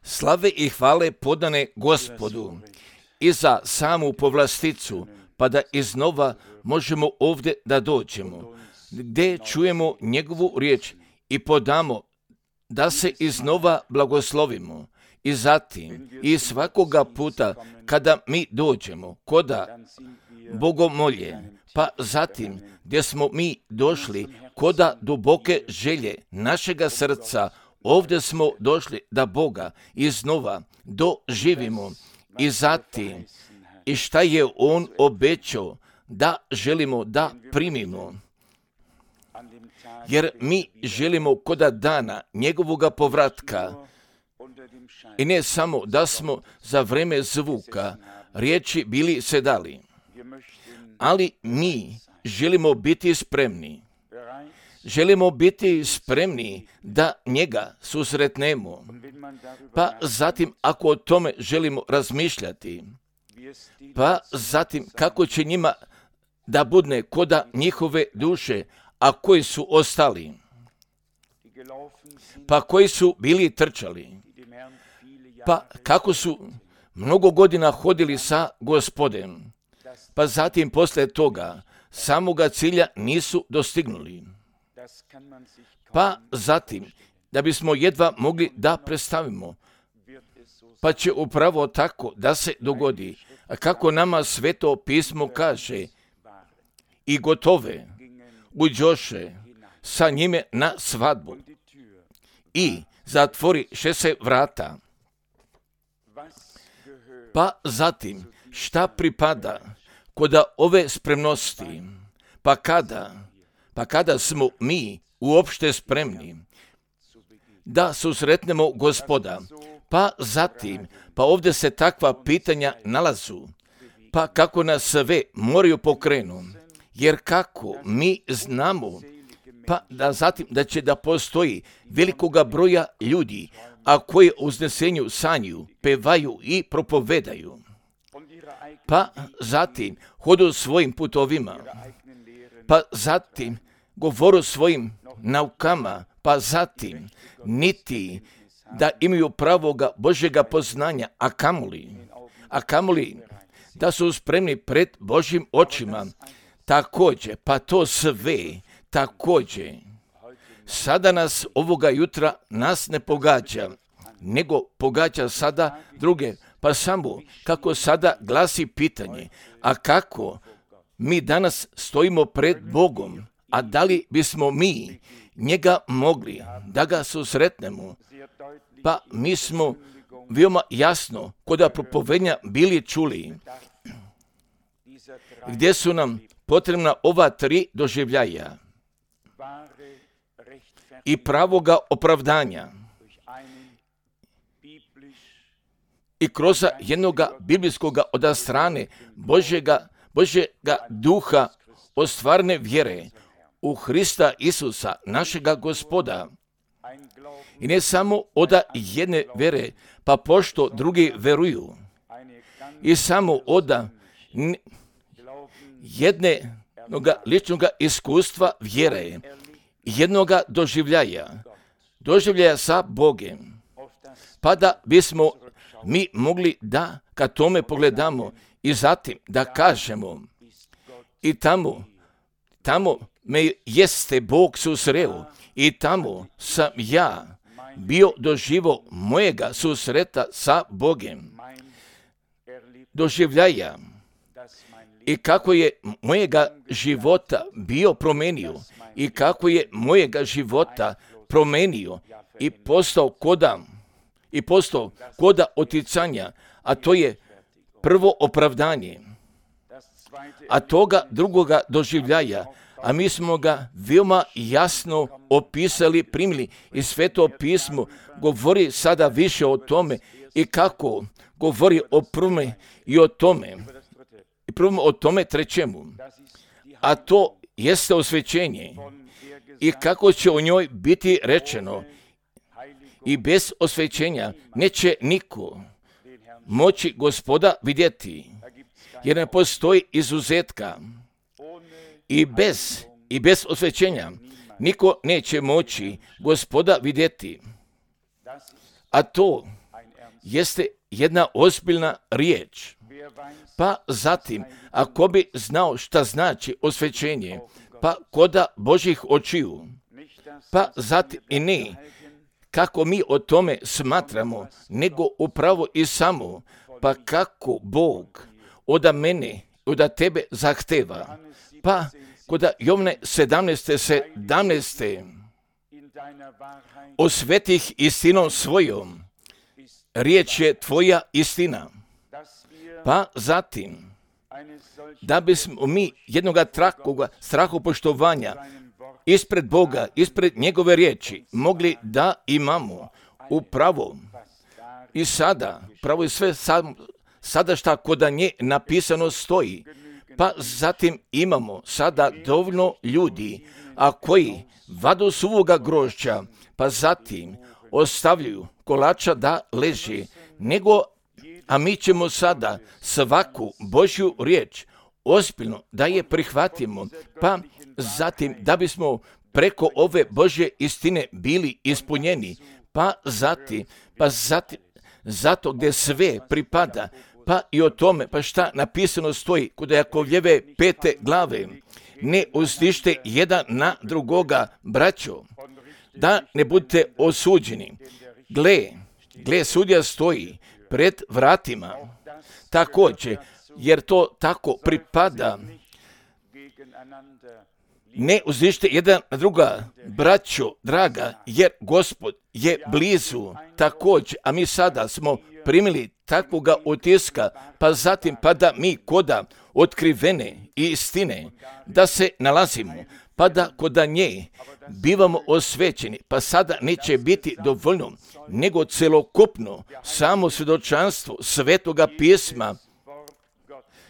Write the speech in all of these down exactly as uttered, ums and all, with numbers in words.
Slave i hvale podane Gospodu i za samu povlasticu, pa da iznova možemo ovdje da dođemo, gdje čujemo njegovu riječ i podamo da se iznova blagoslovimo. I zatim, i svakoga puta kada mi dođemo koda bogomolje, pa zatim gdje smo mi došli koda duboke želje našega srca, ovdje smo došli da Boga iznova doživimo. I zatim, i šta je On obećao da želimo da primimo. Jer mi želimo koda dana njegovoga povratka, i ne samo da smo za vreme zvuka riječi bili sedali, ali mi želimo biti spremni. Želimo biti spremni da njega susretnemo. Pa zatim, ako o tome želimo razmišljati, pa zatim kako će njima da budne koda njihove duše, a koji su ostali, pa koji su bili trčali, pa kako su mnogo godina hodili sa Gospodem, pa zatim posle toga samoga cilja nisu dostignuli. Pa zatim, da bismo jedva mogli da predstavimo, pa će upravo tako da se dogodi, kako nama Sveto pismo kaže, i gotove uđoše sa njime na svadbu i zatvoriše se vrata. Pa zatim, šta pripada koda ove spremnosti, pa kada, pa kada smo mi uopšte spremni da susretnemo Gospoda, pa zatim, pa ovdje se takva pitanja nalazu, pa kako nas sve moraju pokrenu, jer kako mi znamo, pa da zatim da će da postoji velikoga broja ljudi, a koji u uznesenju sanju, pevaju i propovedaju, pa zatim hodu svojim putovima, pa zatim govoru svojim naukama, pa zatim niti da imaju pravoga Božjega poznanja, a kamoli, a kamoli da su spremni pred Božjim očima. Također, pa to sve, također, sada nas ovoga jutra nas ne pogađa, nego pogađa sada druge, pa samo kako sada glasi pitanje, a kako mi danas stojimo pred Bogom, a da li bismo mi njega mogli da ga susretnemo, pa mi smo veoma jasno koda propovednja bili čuli, gdje su nam potrebna ova tri doživljaja i pravoga opravdanja i kroz jednoga biblijskoga od strane Božjega, Božjega duha ostvarne vjere u Hrista Isusa, našega Gospoda. I ne samo od jedne vjere, pa pošto drugi veruju. I samo od jednog ličnog iskustva vjere, jednoga doživljaja, doživljaja sa Bogem, pa da bismo mi mogli da ka tome pogledamo i zatim da kažemo, i tamo, tamo me jeste Bog susreo i tamo sam ja bio doživo mojega susreta sa Bogem, doživljaja, i kako je mojega života bio promenio i kako je mojega života promenio i postao koda, i postao koda oticanja, a to je prvo opravdanje, a toga drugoga doživljaja, a mi smo ga veoma jasno opisali, primili i Sveto pismo govori sada više o tome i kako govori o prvome i o tome, i prvom o tome trećemu, a to jeste osvećenje i kako će o njoj biti rečeno, i bez osvećenja neće niko moći Gospoda vidjeti, jer ne postoji izuzetka, i bez, i bez osvećenja niko neće moći Gospoda vidjeti. a to jeste jedna ozbiljna riječ. Pa zatim, ako bi znao šta znači osvećenje, pa koda Božjih očiju, pa zatim i ne kako mi o tome smatramo, nego upravo i samo, pa kako Bog od mene, od tebe zahteva. Pa koda Jovne sedamnaeste sedamnaeste osvetih istinom svojom, riječ je tvoja istina. Pa zatim, da bismo mi jednoga trakoga strahopoštovanja ispred Boga, ispred njegove riječi, mogli da imamo upravo i sada, pravo i sve sam, sada šta koda nje napisano stoji, pa zatim imamo sada dovoljno ljudi, a koji vadu suvoga grožđa, pa zatim ostavljaju kolača da leži, nego, a mi ćemo sada svaku Božju riječ ozbiljno da je prihvatimo, pa zatim da bismo preko ove Božje istine bili ispunjeni, pa zatim, pa zatim, zato gdje sve pripada, pa i o tome, pa šta napisano stoji kod Jakovljeve pete glave, ne uzdište jedan na drugoga, braćo, da ne budete osuđeni. Gle, gle, sudja stoji pred vratima, također, jer to tako pripada. Ne uzdište jedan na druga, braćo, draga, jer Gospod je blizu također, a mi sada smo primili takvoga utiska, pa zatim pa da mi koda otkrivene istine, da se nalazimo, pa da koda nje bivamo osvećeni, pa sada neće biti dovoljno, nego celokupno samo svjedočanstvo Svetoga pisma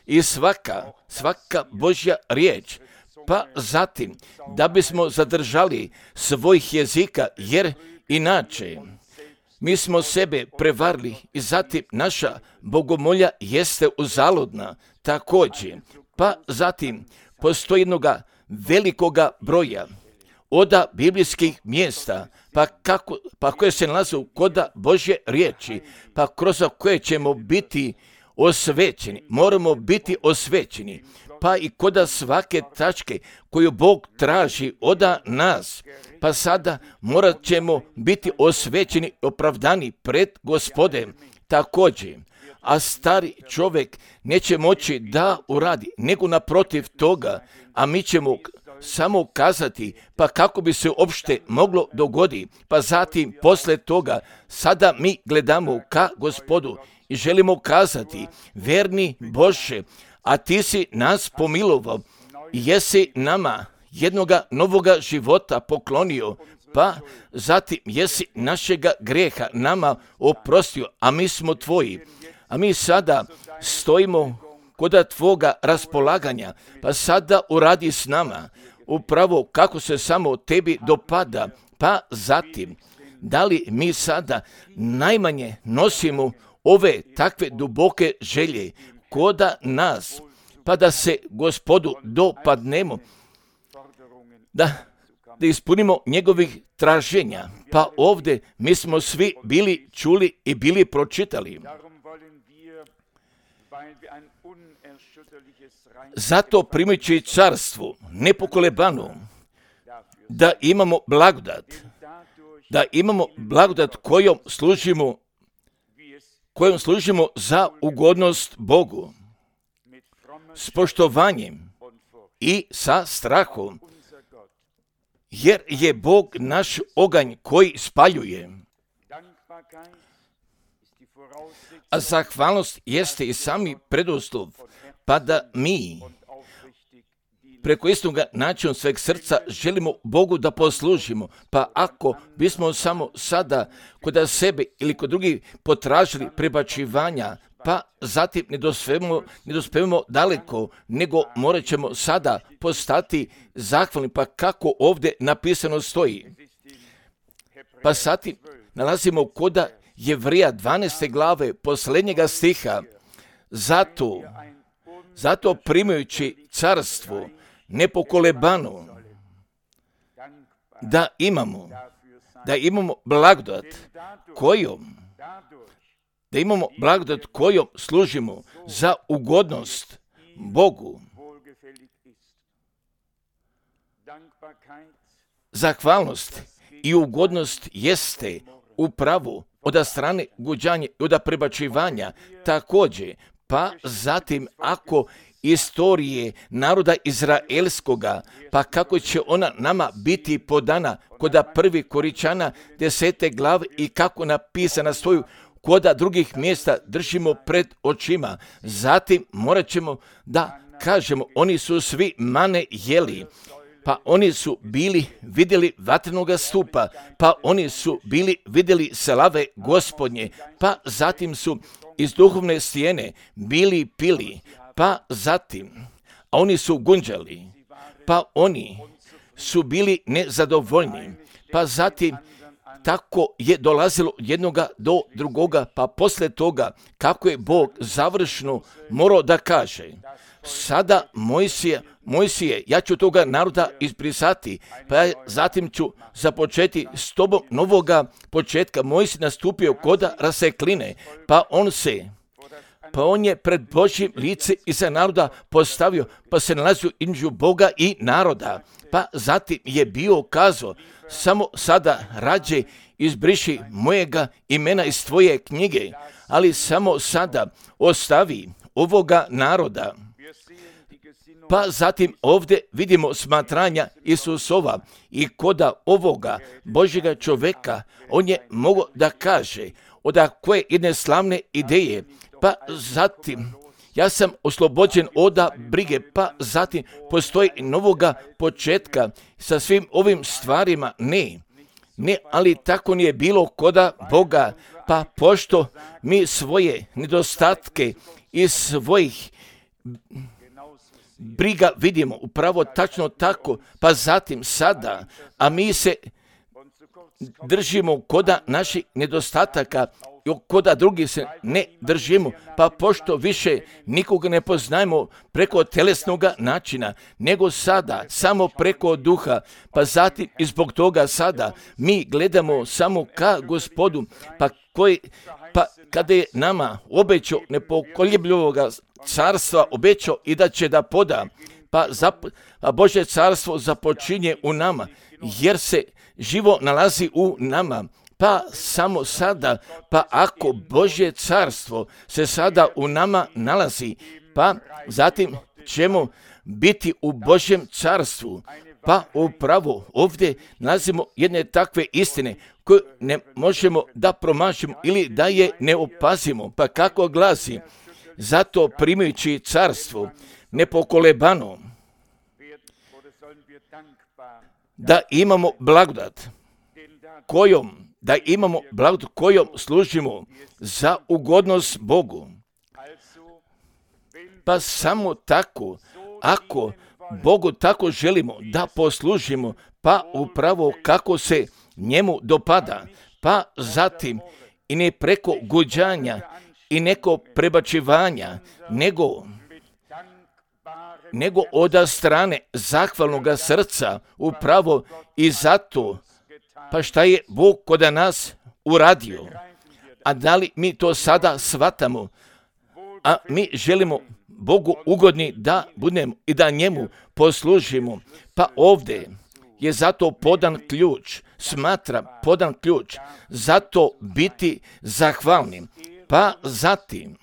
i svaka, svaka Božja riječ, pa zatim da bismo zadržali svojih jezika, jer inače mi smo sebe prevarili i zatim naša bogomolja jeste uzaludna također. Pa zatim postoji jednoga velikoga broja oda biblijskih mjesta, pa, kako, pa koje se nalaze koda Božje riječi, pa kroz koje ćemo biti osvećeni, moramo biti osvećeni, pa i koda svake tačke koju Bog traži oda nas, pa sada morat ćemo biti osvećeni, opravdani pred Gospodem također. A stari čovjek neće moći da uradi, nego naprotiv toga, a mi ćemo samo kazati, pa kako bi se uopšte moglo dogoditi, pa zatim posle toga sada mi gledamo ka Gospodu i želimo kazati, verni Bože, a ti si nas pomilovao i jesi nama jednoga novoga života poklonio, pa zatim jesi našega greha nama oprostio, a mi smo tvoji. A mi sada stojimo koda tvoga raspolaganja, pa sada uradi s nama upravo kako se samo tebi dopada, pa zatim da li mi sada najmanje nosimo ove takve duboke želje koda nas, pa da se Gospodu dopadnemo, da, da ispunimo njegovih traženja. Pa ovdje mi smo svi bili čuli i bili pročitali. Zato primajući carstvo nepokolebano, da imamo blagodat, da imamo blagodat kojom služimo, kojom služimo za ugodnost Bogu, s poštovanjem i sa strahom, jer je Bog naš oganj koji spaljuje. A zahvalnost jeste i sami preduslov, pa da mi preko istoga načina sveg srca želimo Bogu da poslužimo. Pa ako bismo samo sada kod sebe ili kod drugih potražili prebačivanja, pa zatim ne dospevamo, ne dospevamo daleko, nego morat ćemo sada postati zahvalni, pa kako ovdje napisano stoji. Pa zatim nalazimo koda Jevrija dvanaeste glave posljednjega stiha, zato, zato primajući carstvo nepokolebano, da imamo, da imamo blagodat kojom, da imamo blagodat kojom služimo za ugodnost Bogu. Zahvalnost i ugodnost jeste upravo od strane guđanja i od prebačivanja također, pa zatim ako istorije naroda izraelskoga, pa kako će ona nama biti podana koda prvi Koričana desete glave i kako napisana svoju koda drugih mjesta držimo pred očima. Zatim morat ćemo da kažemo, oni su svi mane jeli, pa oni su bili vidjeli vatrenoga stupa, pa oni su bili vidjeli slave Gospodnje, pa zatim su iz duhovne stijene bili pili, pa zatim, a oni su gunđali, pa oni su bili nezadovoljni, pa zatim tako je dolazilo jednoga do drugoga, pa poslije toga kako je Bog završno morao da kaže, sada Mojsije, Mojsije, ja ću toga naroda izbrisati, pa ja zatim ću započeti s tobom novoga početka. Mojsije nastupio koda rasekline, pa on se, pa on je pred Božjim lice iza naroda postavio, pa se nalazio između Boga i naroda. Pa zatim je bio kazao, samo sada rađe izbriši mojega imena iz tvoje knjige, ali samo sada ostavi ovoga naroda. Pa zatim ovdje vidimo smatranja Isusova i koda ovoga Božjega čovjeka, on je mogao da kaže od koje jedne slavne ideje, pa zatim ja sam oslobođen od brige, pa zatim postoji novoga početka sa svim ovim stvarima. Ne, ne, ali tako nije bilo koda Boga, pa pošto mi svoje nedostatke iz svojih briga vidimo upravo tačno tako, pa zatim sada, a mi se držimo koda naših nedostataka, koda drugi se ne držimo, pa pošto više nikoga ne poznajemo preko telesnog načina, nego sada samo preko duha, pa zatim i zbog toga sada mi gledamo samo ka Gospodu, pa koji, pa kada je nama obećao nepokoljebljivoga carstva, obećao i da će da poda, pa, zap, pa Božje carstvo započinje u nama, jer se živo nalazi u nama. Pa samo sada, pa ako Božje carstvo se sada u nama nalazi, pa zatim ćemo biti u Božjem carstvu. Pa upravo ovdje nalazimo jedne takve istine koje ne možemo da promašimo ili da je ne opazimo. Pa kako glasi, zato primajući carstvo nepokolebano, da imamo blagodat kojom da imamo blagodat kojom služimo za ugodnost Bogu. Pa samo tako, ako Bogu tako želimo da poslužimo, pa upravo kako se njemu dopada, pa zatim i ne preko guđanja i neko prebačivanja, nego, nego od strane zahvalnog srca, upravo i zato. Pa šta je Bog kod nas uradio? A da li mi to sada shvatamo? A mi želimo Bogu ugodni da budemo i da njemu poslužimo. Pa ovdje je zato podan ključ, smatra podan ključ, zato biti zahvalnim. Pa zatim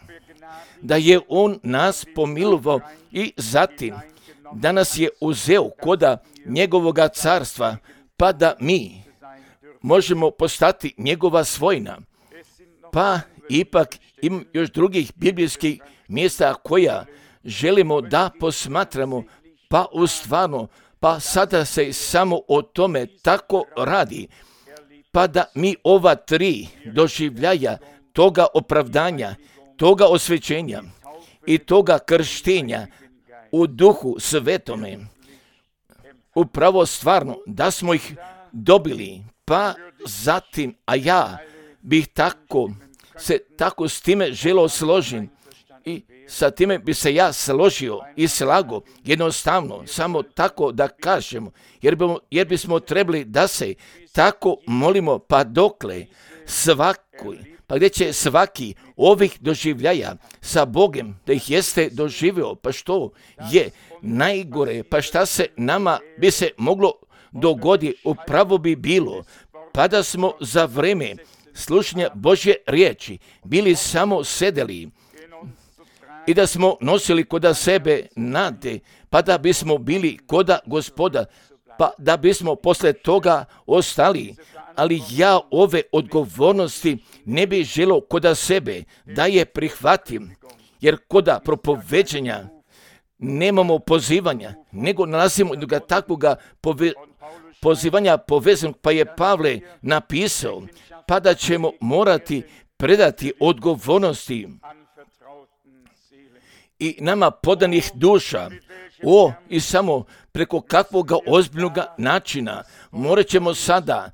da je on nas pomilovao i zatim da nas je uzeo koda njegovoga carstva, pa da mi možemo postati njegova svojina. Pa ipak ima još drugih biblijskih mjesta koja želimo da posmatramo, pa u stvarno, pa sada se samo o tome tako radi, pa da mi ova tri doživljaja toga opravdanja, toga osvećenja i toga krštenja u duhu svetome, upravo stvarno da smo ih dobili. Pa zatim, a ja bih tako se tako s time želio složiti, I sa time bi se ja složio i slago, jednostavno, samo tako da kažemo, jer, bi, jer bismo trebali da se tako molimo, pa dokle svaki, pa gdje će svaki ovih doživljaja sa Bogom, da ih jeste doživio, pa što je najgore, pa šta se nama bi se moglo dogodi, upravo bi bilo, pa da smo za vreme slušanja Božje riječi bili samo sedeli i da smo nosili koda sebe nade, pa da bismo bili koda Gospoda, pa da bismo posle toga ostali. Ali ja ove odgovornosti ne bih želio koda sebe da je prihvatim, jer koda propoveđenja nemamo pozivanja, nego nalazimo jednoga takvoga pove, pozivanja povezanog, pa je Pavle napisao, pa da ćemo morati predati odgovornosti i nama podanih duša. O, i samo preko kakvoga ozbiljnog načina morat ćemo sada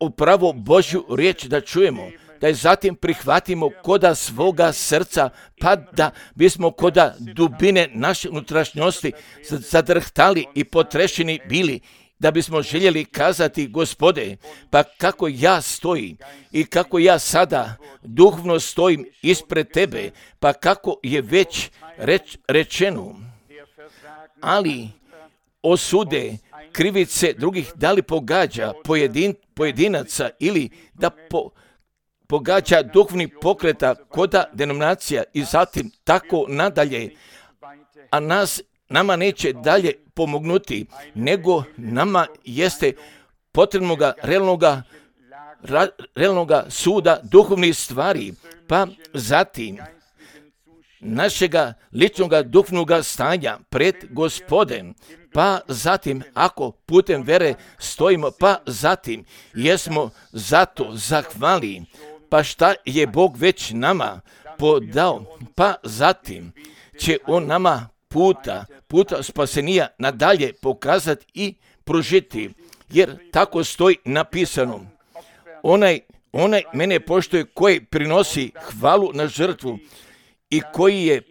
upravo Božju riječ da čujemo, da je zatim prihvatimo koda svoga srca, pa da bismo koda dubine naše unutrašnjosti zadrhtali i potrešeni bili, da bismo željeli kazati, Gospode, pa kako ja stojim i kako ja sada duhovno stojim ispred Tebe, pa kako je već reč, rečeno, ali osude krivice drugih da li pogađa pojedin, pojedinaca ili da po, pogađa duhovni pokreta koda denominacija i zatim tako nadalje, a nas nama neće dalje pomognuti, nego nama jeste potrebnoga realnoga, ra, realnoga suda duhovnih stvari, pa zatim našega ličnoga duhovnoga stanja pred Gospodem, pa zatim ako putem vere stojimo, pa zatim jesmo zato zahvali, pa šta je Bog već nama podao, pa zatim će On nama puta, puta spasenija nadalje pokazati i pružiti, jer tako stoji napisano. Onaj, onaj mene poštuje koji prinosi hvalu na žrtvu i koji je,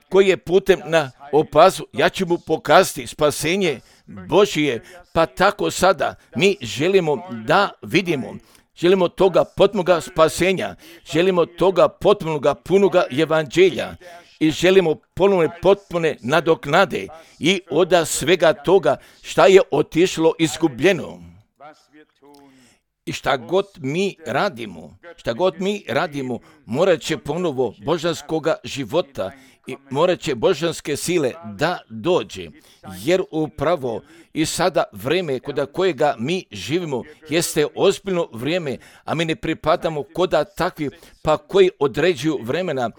koji je putem na opazu, ja ću mu pokazati spasenje Božije, pa tako sada mi želimo da vidimo, želimo toga potpunoga spasenja, želimo toga potpunoga punoga evanđelja i želimo ponovne potpune nadoknade i od svega toga šta je otišlo izgubljeno. I šta god mi radimo, šta god mi radimo, morat će ponovo božanskoga života i morat će božanske sile da dođe, jer upravo i sada vreme koda kojega mi živimo jeste ozbiljno vrijeme, a mi ne pripadamo koda takvi, pa koji određuju vremena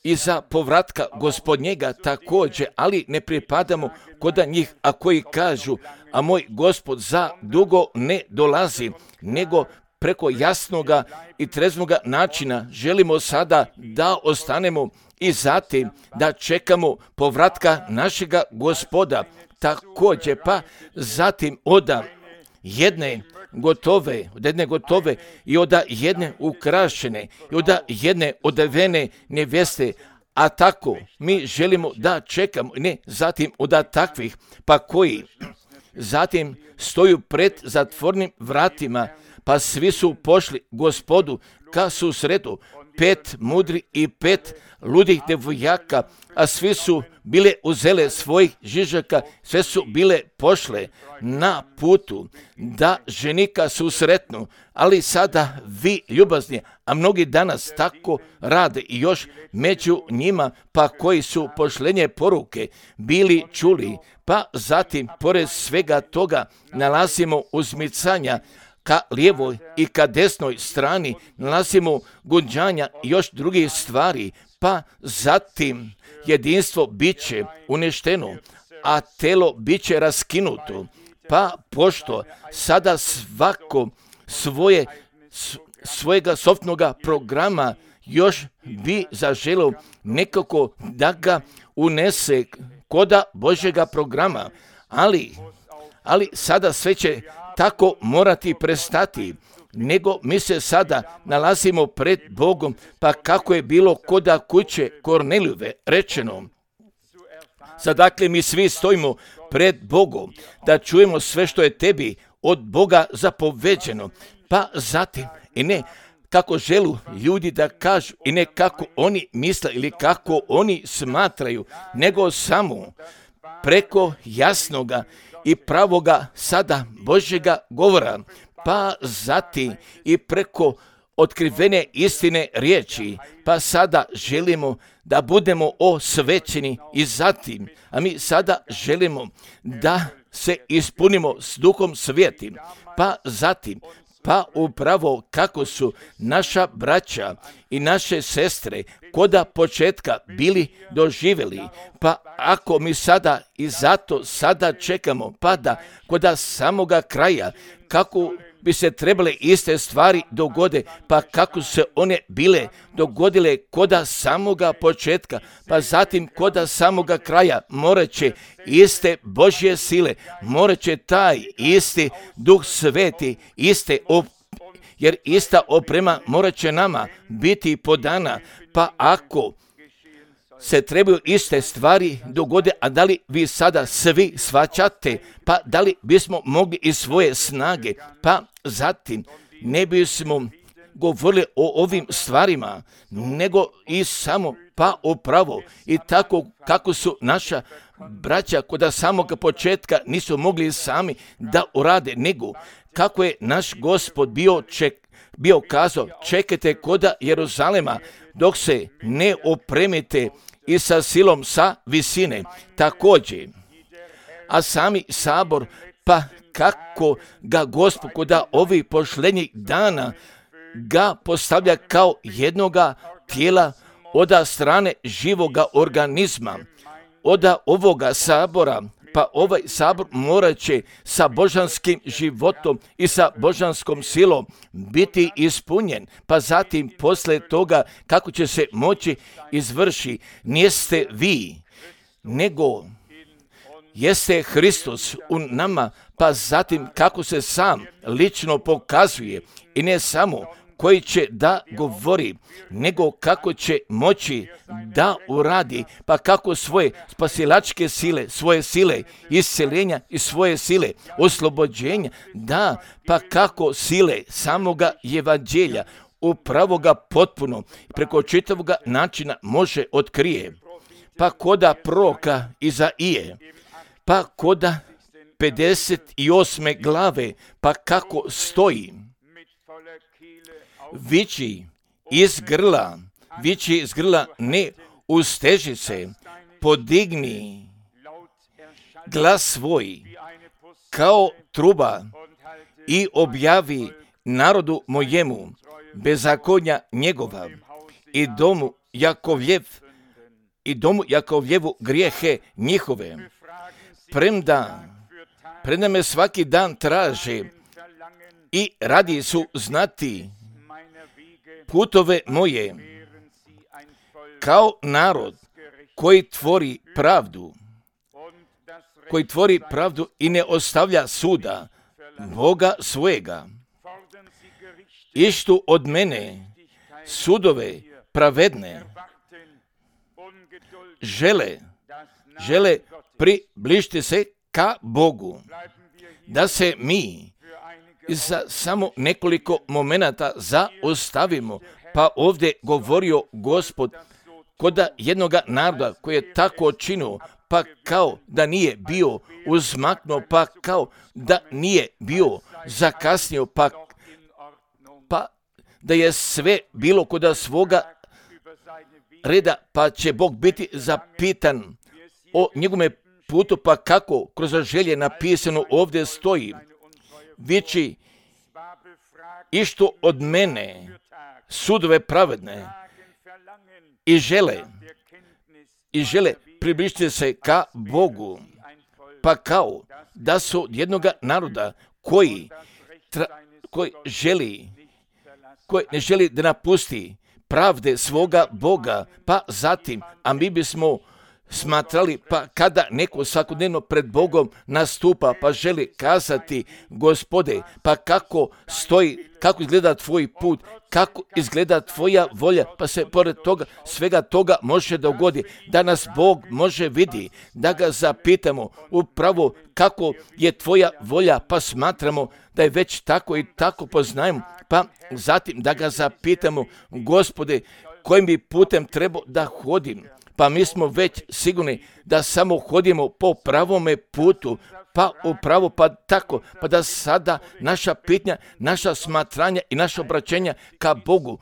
i za povratka Gospodnjega također, ali ne pripadamo koda njih, a koji kažu, a moj Gospod za dugo ne dolazi, nego preko jasnoga i treznoga načina želimo sada da ostanemo i zatim da čekamo povratka našega Gospoda također, pa zatim od jedne gotove, od jedne gotove i od jedne ukrašene i od jedne odevene nevjeste, a tako mi želimo da čekamo, ne zatim od takvih, pa koji zatim stoju pred zatvornim vratima, pa svi su pošli Gospodu ka susretu, pet mudri i pet ludih devojaka, a svi su bile uzele svojih žižaka, sve su bile pošle na putu da ženika susretnu, ali sada vi ljubazni, a mnogi danas tako rade i još među njima, pa koji su pošlenje poruke bili čuli, pa zatim pored svega toga nalazimo uzmicanja ka lijevoj i ka desnoj strani, nalazimo gunđanja i još drugih stvari, pa zatim jedinstvo biće uništeno, a telo biće raskinuto, pa pošto sada svako svoje, svojega softnoga programa još bi zaželio nekako da ga unese koda Božjega programa, ali, ali sada sve će tako morati prestati. nego mi se sada nalazimo pred Bogom, pa kako je bilo koda kuće Kornelijove rečeno. Sad dakle mi svi stojimo pred Bogom da čujemo sve što je tebi od Boga zapoveđeno, pa zatim i ne kako želu ljudi da kažu i ne kako oni misle ili kako oni smatraju, nego samo preko jasnoga i pravoga sada Božjega govora, pa zatim i preko otkrivene istine riječi, pa sada želimo da budemo osvećeni i zatim, a mi sada želimo da se ispunimo s Duhom Svijetim, pa zatim, pa upravo kako su naša braća i naše sestre koda početka bili doživjeli, pa ako mi sada i zato sada čekamo, pa da koda samoga kraja, kako bi se trebale iste stvari dogode, pa kako se one bile dogodile koda samoga početka, pa zatim koda samoga kraja, morat će iste Božje sile, morat će taj isti Duh Sveti, iste op, jer ista oprema morat će nama biti podana, pa ako se trebaju iste stvari dogode, a da li vi sada svi shvaćate, pa da li bismo mogli iz svoje snage, pa zatim ne bismo govorili o ovim stvarima, nego i samo pa upravo i tako kako su naša braća koda samog početka nisu mogli sami da urade, nego kako je naš Gospod bio, ček, bio kazao, čekajte koda Jeruzalema dok se ne opremite i sa silom sa visine također. A sami sabor, pa kako ga Gospod koda ovih pošlenjih dana ga postavlja kao jednoga tijela oda strane živoga organizma, oda ovoga sabora, pa ovaj sabor morat će sa božanskim životom i sa božanskom silom biti ispunjen, pa zatim posle toga kako će se moći izvrši, niste vi, nego jeste Hristos u nama, pa zatim kako se sam lično pokazuje i ne samo koji će da govori, nego kako će moći da uradi, pa kako svoje spasilačke sile, svoje sile isceljenja i svoje sile oslobođenja, da, pa kako sile samoga evanđelja upravo ga potpuno preko čitavoga načina može otkrije, pa koda proroka Izaije, pa koda pedeset osme glave, pa kako stoji, viči iz grla, viči iz grla, ne usteži se, podigni glas svoj kao truba i objavi narodu mojemu bezakonja njegova i domu Jakovljev i domu Jakovljevu grijehe njihove. Premda, premda me svaki dan traže i radi su znati putove moje, kao narod koji tvori pravdu, koji tvori pravdu i ne ostavlja suda Boga svojega. Ištu od mene sudove pravedne, žele, žele približiti se ka Bogu, da se mi za samo nekoliko momenata zaostavimo, pa ovdje govorio Gospod koda jednoga naroda koji je tako činio, pa kao da nije bio uzmaknuo, pa kao da nije bio zakasnio, pa, pa da je sve bilo koda svoga reda, pa će Bog biti zapitan o njegovome putu, pa kako kroz želje napisano ovdje stoji, viči išto od mene sudove pravedne i žele, i žele približiti se ka Bogu, pa kao da su jednoga naroda koji, tra, koji želi, koji ne želi da napusti pravde svoga Boga, pa zatim, a mi bismo smatrali, pa kada neko svakodnevno pred Bogom nastupa, pa želi kazati, Gospode, pa kako stoji, kako izgleda tvoj put, kako izgleda tvoja volja, pa se pored toga, svega toga može dogodi, da nas Bog može vidi, da ga zapitamo upravo kako je tvoja volja, pa smatramo da je već tako i tako poznajemo, pa zatim da ga zapitamo, Gospode, kojim bi putem trebao da hodim, pa mi smo već sigurni da samo hodimo po pravome putu, pa upravo pa tako, pa da sada naša pitanja, naša smatranja i naša obraćenja ka Bogu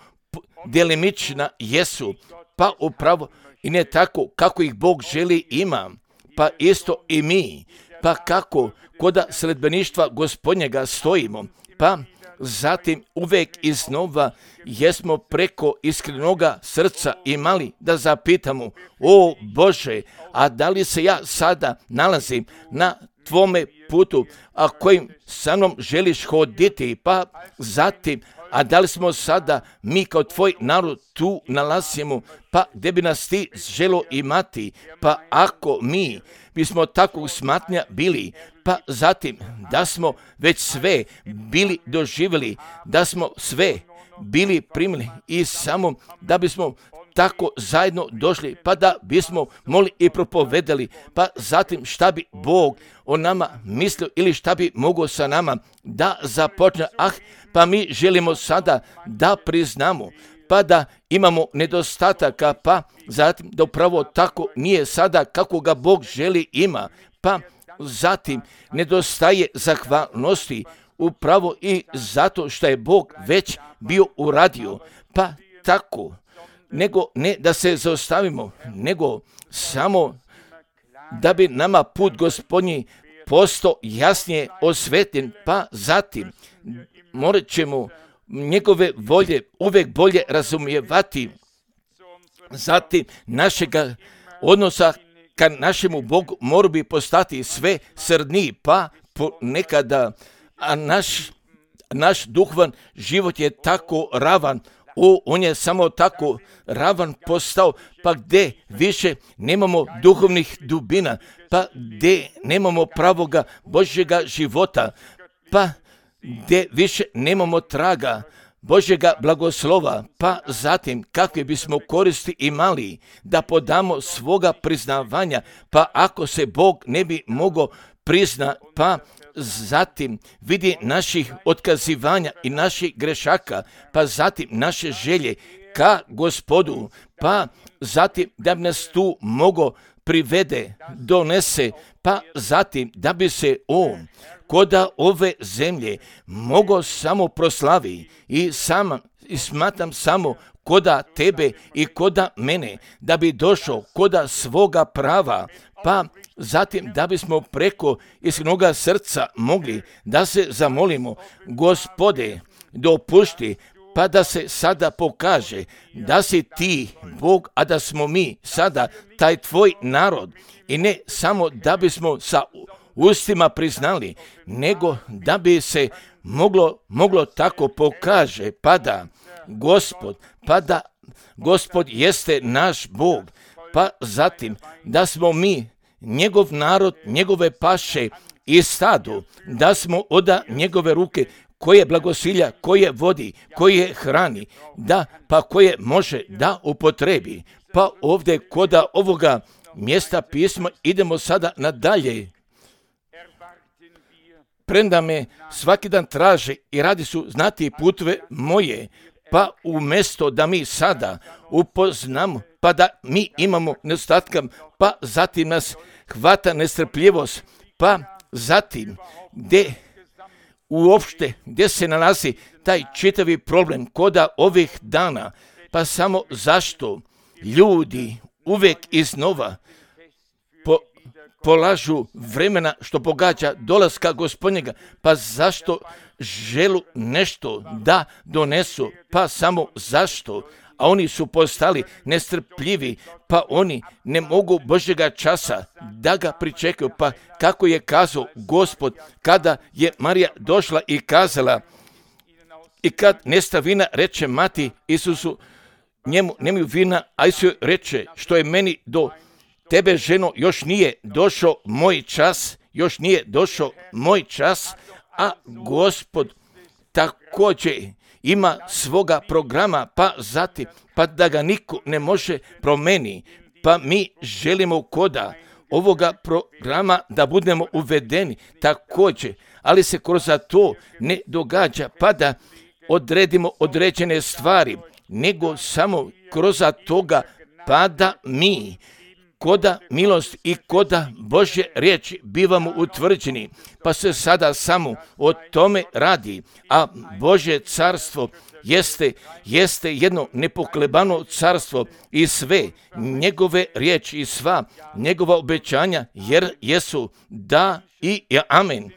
delimična jesu, pa upravo i ne tako kako ih Bog želi ima, pa isto i mi, pa kako koda sledbeništva Gospodnjega stojimo, pa zatim uvek iznova jesmo preko iskrenoga srca imali da zapitamo, o Bože, a da li se ja sada nalazim na tvome putu, a kojim sa mnom želiš hoditi, pa zatim, a da li smo sada mi kao tvoj narod tu nalazimo, pa gdje bi nas ti želo imati, pa ako mi bismo takvog smatranja bili, pa zatim da smo već sve bili doživjeli, da smo sve bili primili i samo da bismo tako zajedno došli, pa da bismo mogli i propovedali, pa zatim šta bi Bog o nama mislio ili šta bi mogao sa nama da započne. Ah, pa mi želimo sada da priznamo, pa da imamo nedostataka, pa zatim da upravo tako nije sada kako ga Bog želi ima, pa zatim nedostaje zahvalnosti upravo i zato što je Bog već bio uradio, pa tako, nego ne da se zaustavimo, nego samo da bi nama put Gospodnji postao jasnije osvetljen, pa zatim morat ćemo njegove volje uvek bolje razumijevati, zatim našega odnosa ka našemu Bogu mora bi postati sve srdniji, pa nekada a naš, naš duhovan život je tako ravan, o, on je samo tako ravan postao, pa gdje više nemamo duhovnih dubina, pa gdje nemamo pravoga Božjega života, pa gdje više nemamo traga Božjega blagoslova, pa zatim kakve bismo koristi imali da podamo svoga priznavanja, pa ako se Bog ne bi mogao prizna, pa zatim vidi naših otkazivanja i naših grešaka, pa zatim naše želje ka Gospodu, pa zatim da bi nas tu mogo privede, donese, pa zatim da bi se on koda ove zemlje mogo samo proslavi i sama i smatram samo koda tebe i koda mene, da bi došao koda svoga prava, pa zatim da bismo preko iskrenoga srca mogli da se zamolimo, Gospode, dopušti, pa da se sada pokaže da si ti Bog, a da smo mi sada taj tvoj narod, i ne samo da bismo sa ustima priznali, nego da bi se moglo, moglo tako pokaže, pa da Gospod, pa da Gospod jeste naš Bog, pa zatim da smo mi njegov narod, njegove paše i stado, da smo oda njegove ruke koje blagosilja, koje vodi, koje hrani, da pa koje može da upotrebi. Pa ovdje koda ovoga mjesta pisma idemo sada nadalje. Premda me svaki dan traže i radi su znati putve moje, pa umjesto da mi sada upoznamo, pa da mi imamo nedostatka, pa zatim nas hvata nestrpljivost, pa zatim gdje uopšte, gdje se nalazi taj čitavi problem koda ovih dana, pa samo zašto ljudi uvek iznova po, polažu vremena što pogađa dolaska Gospodnjega, pa zašto želu nešto da donesu, pa samo zašto, a oni su postali nestrpljivi, pa oni ne mogu Božjega časa da ga pričekaju, pa kako je kazao Gospod kada je Marija došla i kazala, i kad nesta vina, reče mati Isusu, njemu nemaju vina, a Isus reče, što je meni do tebe ženo još nije došao moj čas, još nije došao moj čas, a Gospod također ima svoga programa, pa zatim, pa da ga niko ne može promijeniti, pa mi želimo koda ovoga programa da budemo uvedeni također, ali se kroz to ne događa, pa da odredimo određene stvari, nego samo kroz toga, pa da mi koda milost i koda Božje riječi bivamo utvrđeni, pa se sada samo o tome radi, a Božje carstvo jeste, jeste jedno nepoklebano carstvo i sve njegove riječi i sva njegova obećanja, jer jesu da i amen.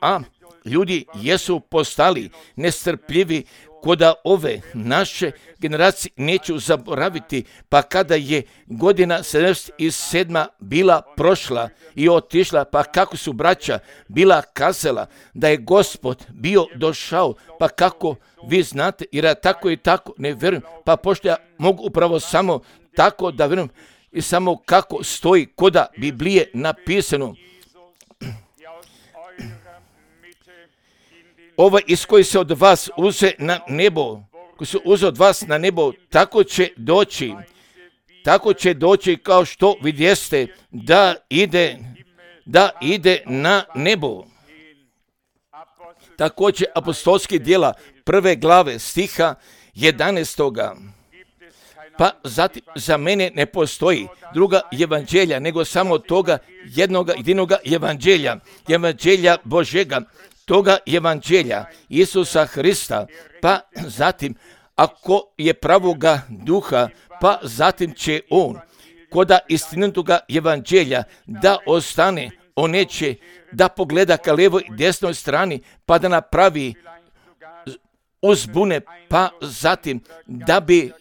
A ljudi jesu postali nestrpljivi koda ove naše generacije neću zaboraviti, pa kada je godina sedamdeset sedma bila prošla i otišla, pa kako su braća bila kazala da je Gospod bio došao, pa kako vi znate, jer ja tako i tako ne vjerujem, pa pošto ja mogu upravo samo tako da vjerujem i samo kako stoji koda Biblije napisano. Ovaj iz koji se od vas uze na nebo, koji se uze od vas na nebo, tako će doći, tako će doći kao što vidjeste da ide, da ide na nebo. Također apostolski djela prve glave stiha jedanaestoga. Pa zatim za mene ne postoji druga evanđelja, nego samo toga jednoga jedinoga evanđelja, evanđelja Božega, toga evanđelja Isusa Hrista, pa zatim ako je pravoga duha, pa zatim će on koda istinitoga evanđelja da ostane, on neće da pogleda ka lijevoj i desnoj strani, pa da napravi uzbune, pa zatim da bi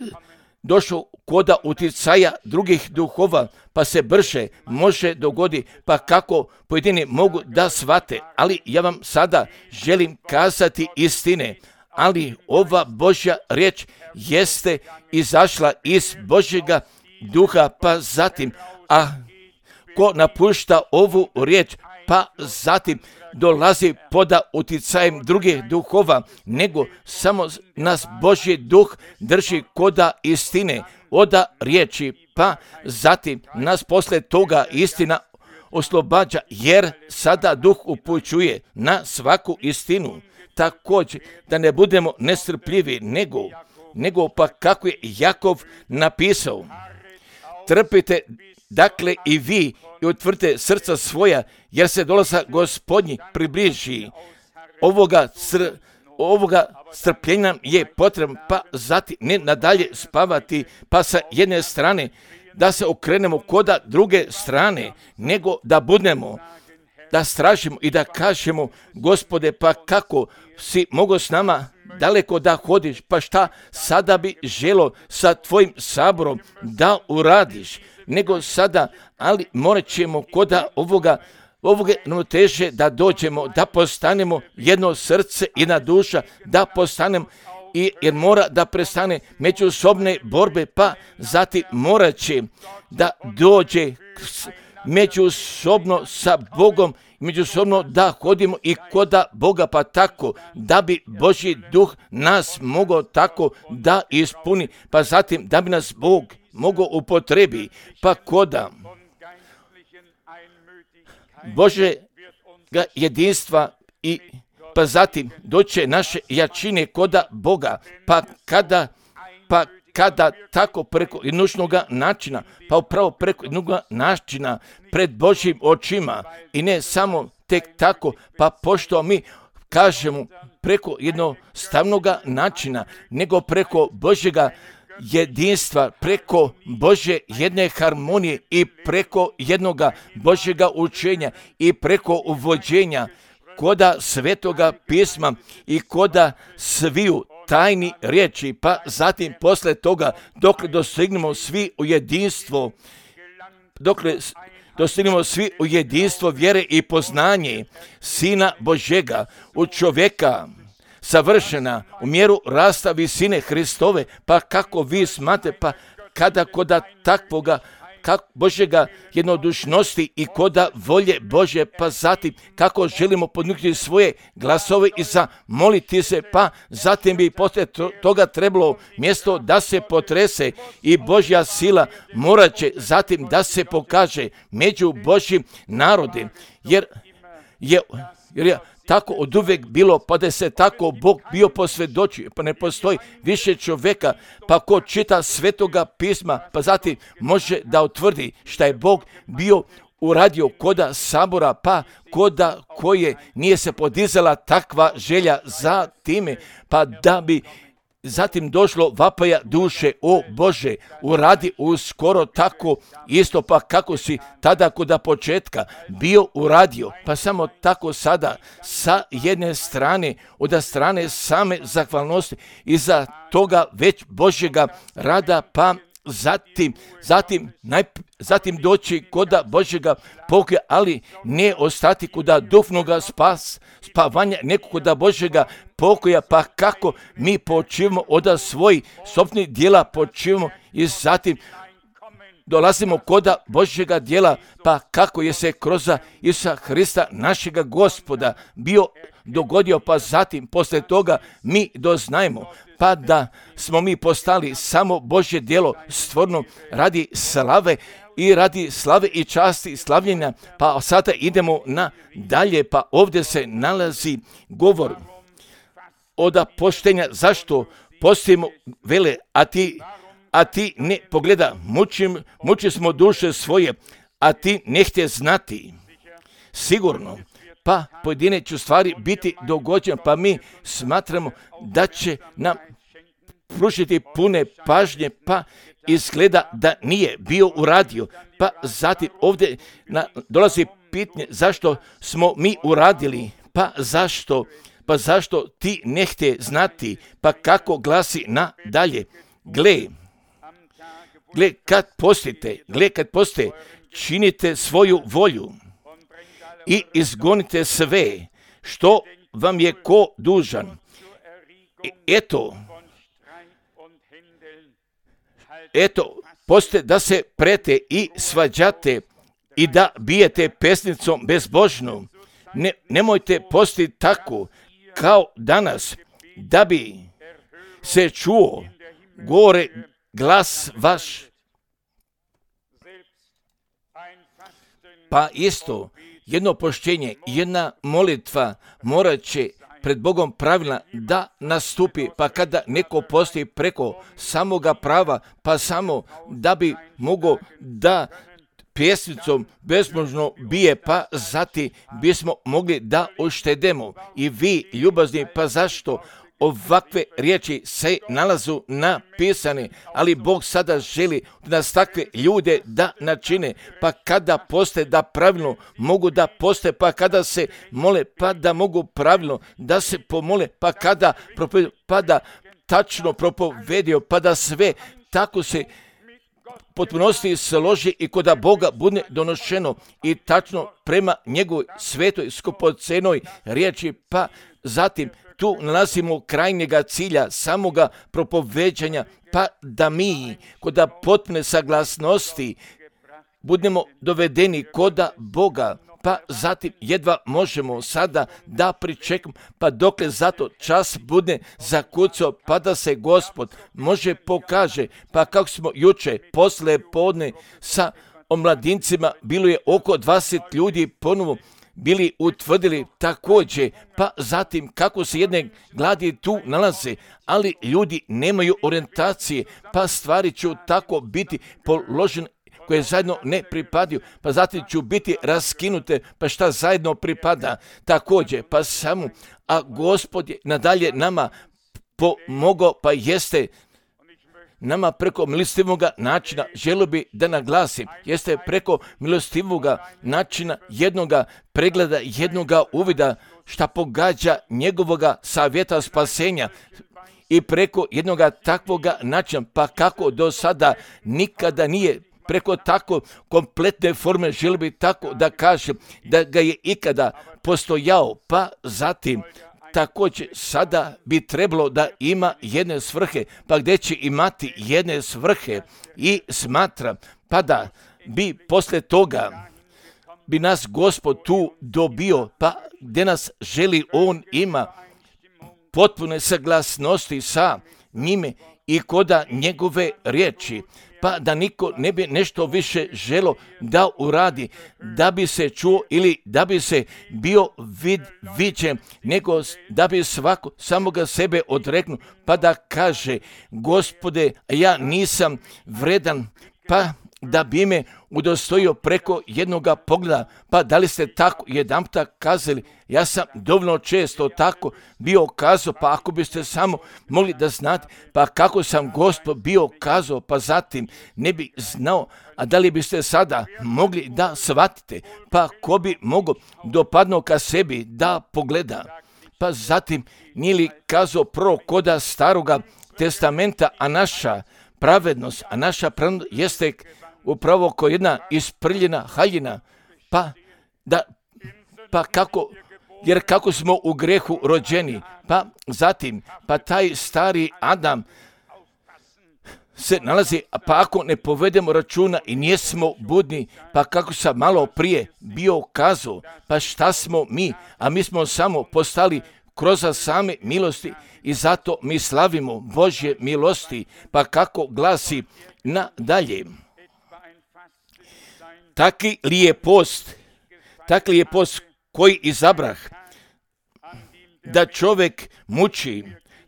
došao koda utjecaja drugih duhova, pa se brže može dogodi, pa kako pojedini mogu da shvate. Ali ja vam sada želim kazati istine, ali ova Božja riječ jeste izašla iz Božjega duha, pa zatim, a ko napušta ovu riječ, pa zatim dolazi poda utjecajem drugih duhova, nego samo nas Božji duh drži koda istine, oda riječi, pa zatim nas posle toga istina oslobađa, jer sada duh upućuje na svaku istinu. Također da ne budemo nestrpljivi, nego, nego pa kako je Jakov napisao, trpite dakle i vi i utvrdite srca svoja, jer se dolazak Gospodnji približi. Ovoga, cr, ovoga strpljenja je potrebno, pa zatim ne nadalje spavati, pa sa jedne strane da se okrenemo koda druge strane, nego da budemo, da stražimo i da kažemo, Gospode, pa kako si mogo s nama daleko da hodiš, pa šta sada bi želo sa tvojim saborom da uradiš, nego sada, ali morat ćemo koda ovoga, ovoga ravnoteže da dođemo, da postanemo jedno srce, jedna duša, da postanemo, i, jer mora da prestane međusobne borbe, pa zatim morat će da dođe međusobno sa Bogom, međusobno da hodimo i koda Boga, pa tako da bi Božji duh nas mogao tako da ispuni, pa zatim da bi nas Bog mogao upotrebi, pa koda Božjega jedinstva i pa zatim doće naše jačine koda Boga, pa kada, pa kada tako preko jednoga načina, pa upravo preko jednoga načina pred Božjim očima i ne samo tek tako, pa pošto mi kažemo preko jednostavnog načina, nego preko Božjega jedinstva, preko Božje jedne harmonije i preko jednoga Božjega učenja i preko uvođenja koda Svetoga pisma i koda sviju tajni riječi, pa zatim posle toga dok dostignemo svi u jedinstvo, dok dostignemo svi u jedinstvo vjere i poznanje Sina Božjega, u čovjeka savršena u mjeru rasta visine Hristove, pa kako vi smate, pa kada koda takvoga kako Božjega jednodušnosti i koda volje Bože, pa zatim kako želimo podnuknuti svoje glasove i zamoliti se, pa zatim bi poslije toga trebalo mjesto da se potrese i Božja sila morat će zatim da se pokaže među Božjim narodom, jer je, jer je tako od uvijek bilo, pa da se tako Bog bio posvjedočio, pa ne postoji više čovjeka, pa ko čita Svetoga pisma, pa zatim može da utvrdi šta je Bog bio uradio koda sabora, pa koda koje nije se podizala takva želja za time, pa da bi zatim došlo vapaja duše, o Bože, uradi uskoro tako isto, pa kako si tada koda početka bio uradio, pa samo tako sada sa jedne strane, od strane same zahvalnosti i za toga već Božjega rada, pa zatim, zatim, najp, zatim doći koda Božjega pokoja, ali ne ostati koda duhovnoga spas, spavanja, neko koda Božjega pokoja, pa kako mi počivamo od svojih sopnih dijela počivamo i zatim dolazimo koda Božjega dijela, pa kako je se kroz Isusa Hrista našega Gospoda bio dogodio, pa zatim poslije toga mi doznajemo, pa da smo mi postali samo Božje djelo stvorno radi slave i radi slave i časti i slavljenja, pa sada idemo na dalje, pa ovdje se nalazi govor od poštenja, zašto postimo vele, a ti, a ti ne pogleda, mučim, muči smo duše svoje, a ti ne htje znati. Sigurno, pa pojedine će stvari biti dogođene, pa mi smatramo da će nam pružiti pune pažnje, pa izgleda da nije bio uradio. Pa zatim ovdje na, dolazi pitanje zašto smo mi uradili, pa zašto, pa zašto ti ne htje znati, pa kako glasi na dalje. Gle, gle kad postite, gle kad postite, činite svoju volju i izgonite sve što vam je ko dužan. Eto, eto, poste da se prete i svađate i da bijete pesnicom bezbožnom. Ne, nemojte postiti tako kao danas, da bi se čuo gore glas vaš. Pa isto, jedno poštenje, jedna molitva morat će pred Bogom pravilna da nastupi, pa kada neko postoji preko samoga prava, pa samo da bi mogao da pjesmicom bezbožno bije, pa zatim bismo mogli da uštedemo. I vi, ljubazni, pa zašto ovakve riječi se nalazu napisane, ali Bog sada želi da nas takve ljude da načine, pa kada poste da pravilno mogu da poste, pa kada se mole, pa da mogu pravilno da se pomole, pa kada propovedio, pa da tačno propovedio, pa da sve tako se potpunosti složi i koda Boga bude donošeno i tačno prema njegovoj svetoj skupocenoj riječi, pa zatim tu nalazimo krajnjega cilja, samoga propoveđanja, pa da mi koda potpune saglasnosti budemo dovedeni koda Boga, pa zatim jedva možemo sada da pričekamo, pa dokle zato čas bude zakucao, pa da se Gospod može pokaže, pa kako smo juče posle podne sa omladincima, bilo je oko dvadeset ljudi ponovo bili utvrdili također, pa zatim kako se jedne gladi tu nalaze, ali ljudi nemaju orijentacije, pa stvari će tako biti položene koje zajedno ne pripadaju, pa zatim ću biti raskinute, pa šta zajedno pripada također, pa samo, a Gospod je nadalje nama pomogao, pa jeste nama preko milostivoga načina, želio bi da naglasim, jeste preko milostivoga načina jednoga pregleda, jednoga uvida šta pogađa njegovoga savjeta spasenja i preko jednoga takvoga načina, pa kako do sada nikada nije preko tako kompletne forme, želio bi tako da kažem da ga je ikada postojao, pa zatim također sada bi trebalo da ima jedne svrhe, pa gdje će imati jedne svrhe i smatra, pa da bi posle toga, bi nas Gospod tu dobio, pa gdje nas želi, On ima potpune saglasnosti sa njime i koda njegove riječi, pa da niko ne bi nešto više želo da uradi, da bi se čuo ili da bi se bio vid, viđen, nego da bi svako samoga sebe odreknuo, pa da kaže, Gospode, ja nisam vredan, pa da bi me udostojio preko jednoga pogleda, pa da li ste tako jedanputa kazali, ja sam dovoljno često tako bio kazao, pa ako biste samo mogli da znate, pa kako sam Gospod bio kazao, pa zatim ne bi znao, a da li biste sada mogli da shvatite, pa ko bi mogao dopadno ka sebi da pogleda, pa zatim nije li kazao prvo koda staroga testamenta, a naša pravednost, a naša pravednost jeste upravo kao jedna isprljena haljina, pa da, pa kako, jer kako smo u grehu rođeni, pa zatim, pa taj stari Adam se nalazi, pa ako ne povedemo računa i nijesmo budni, pa kako sam malo prije bio kazao, pa šta smo mi, a mi smo samo postali kroz same milosti i zato mi slavimo Božje milosti, pa kako glasi nadalje. Taki li je post, taki li je post koji izabrah, da čovjek muči,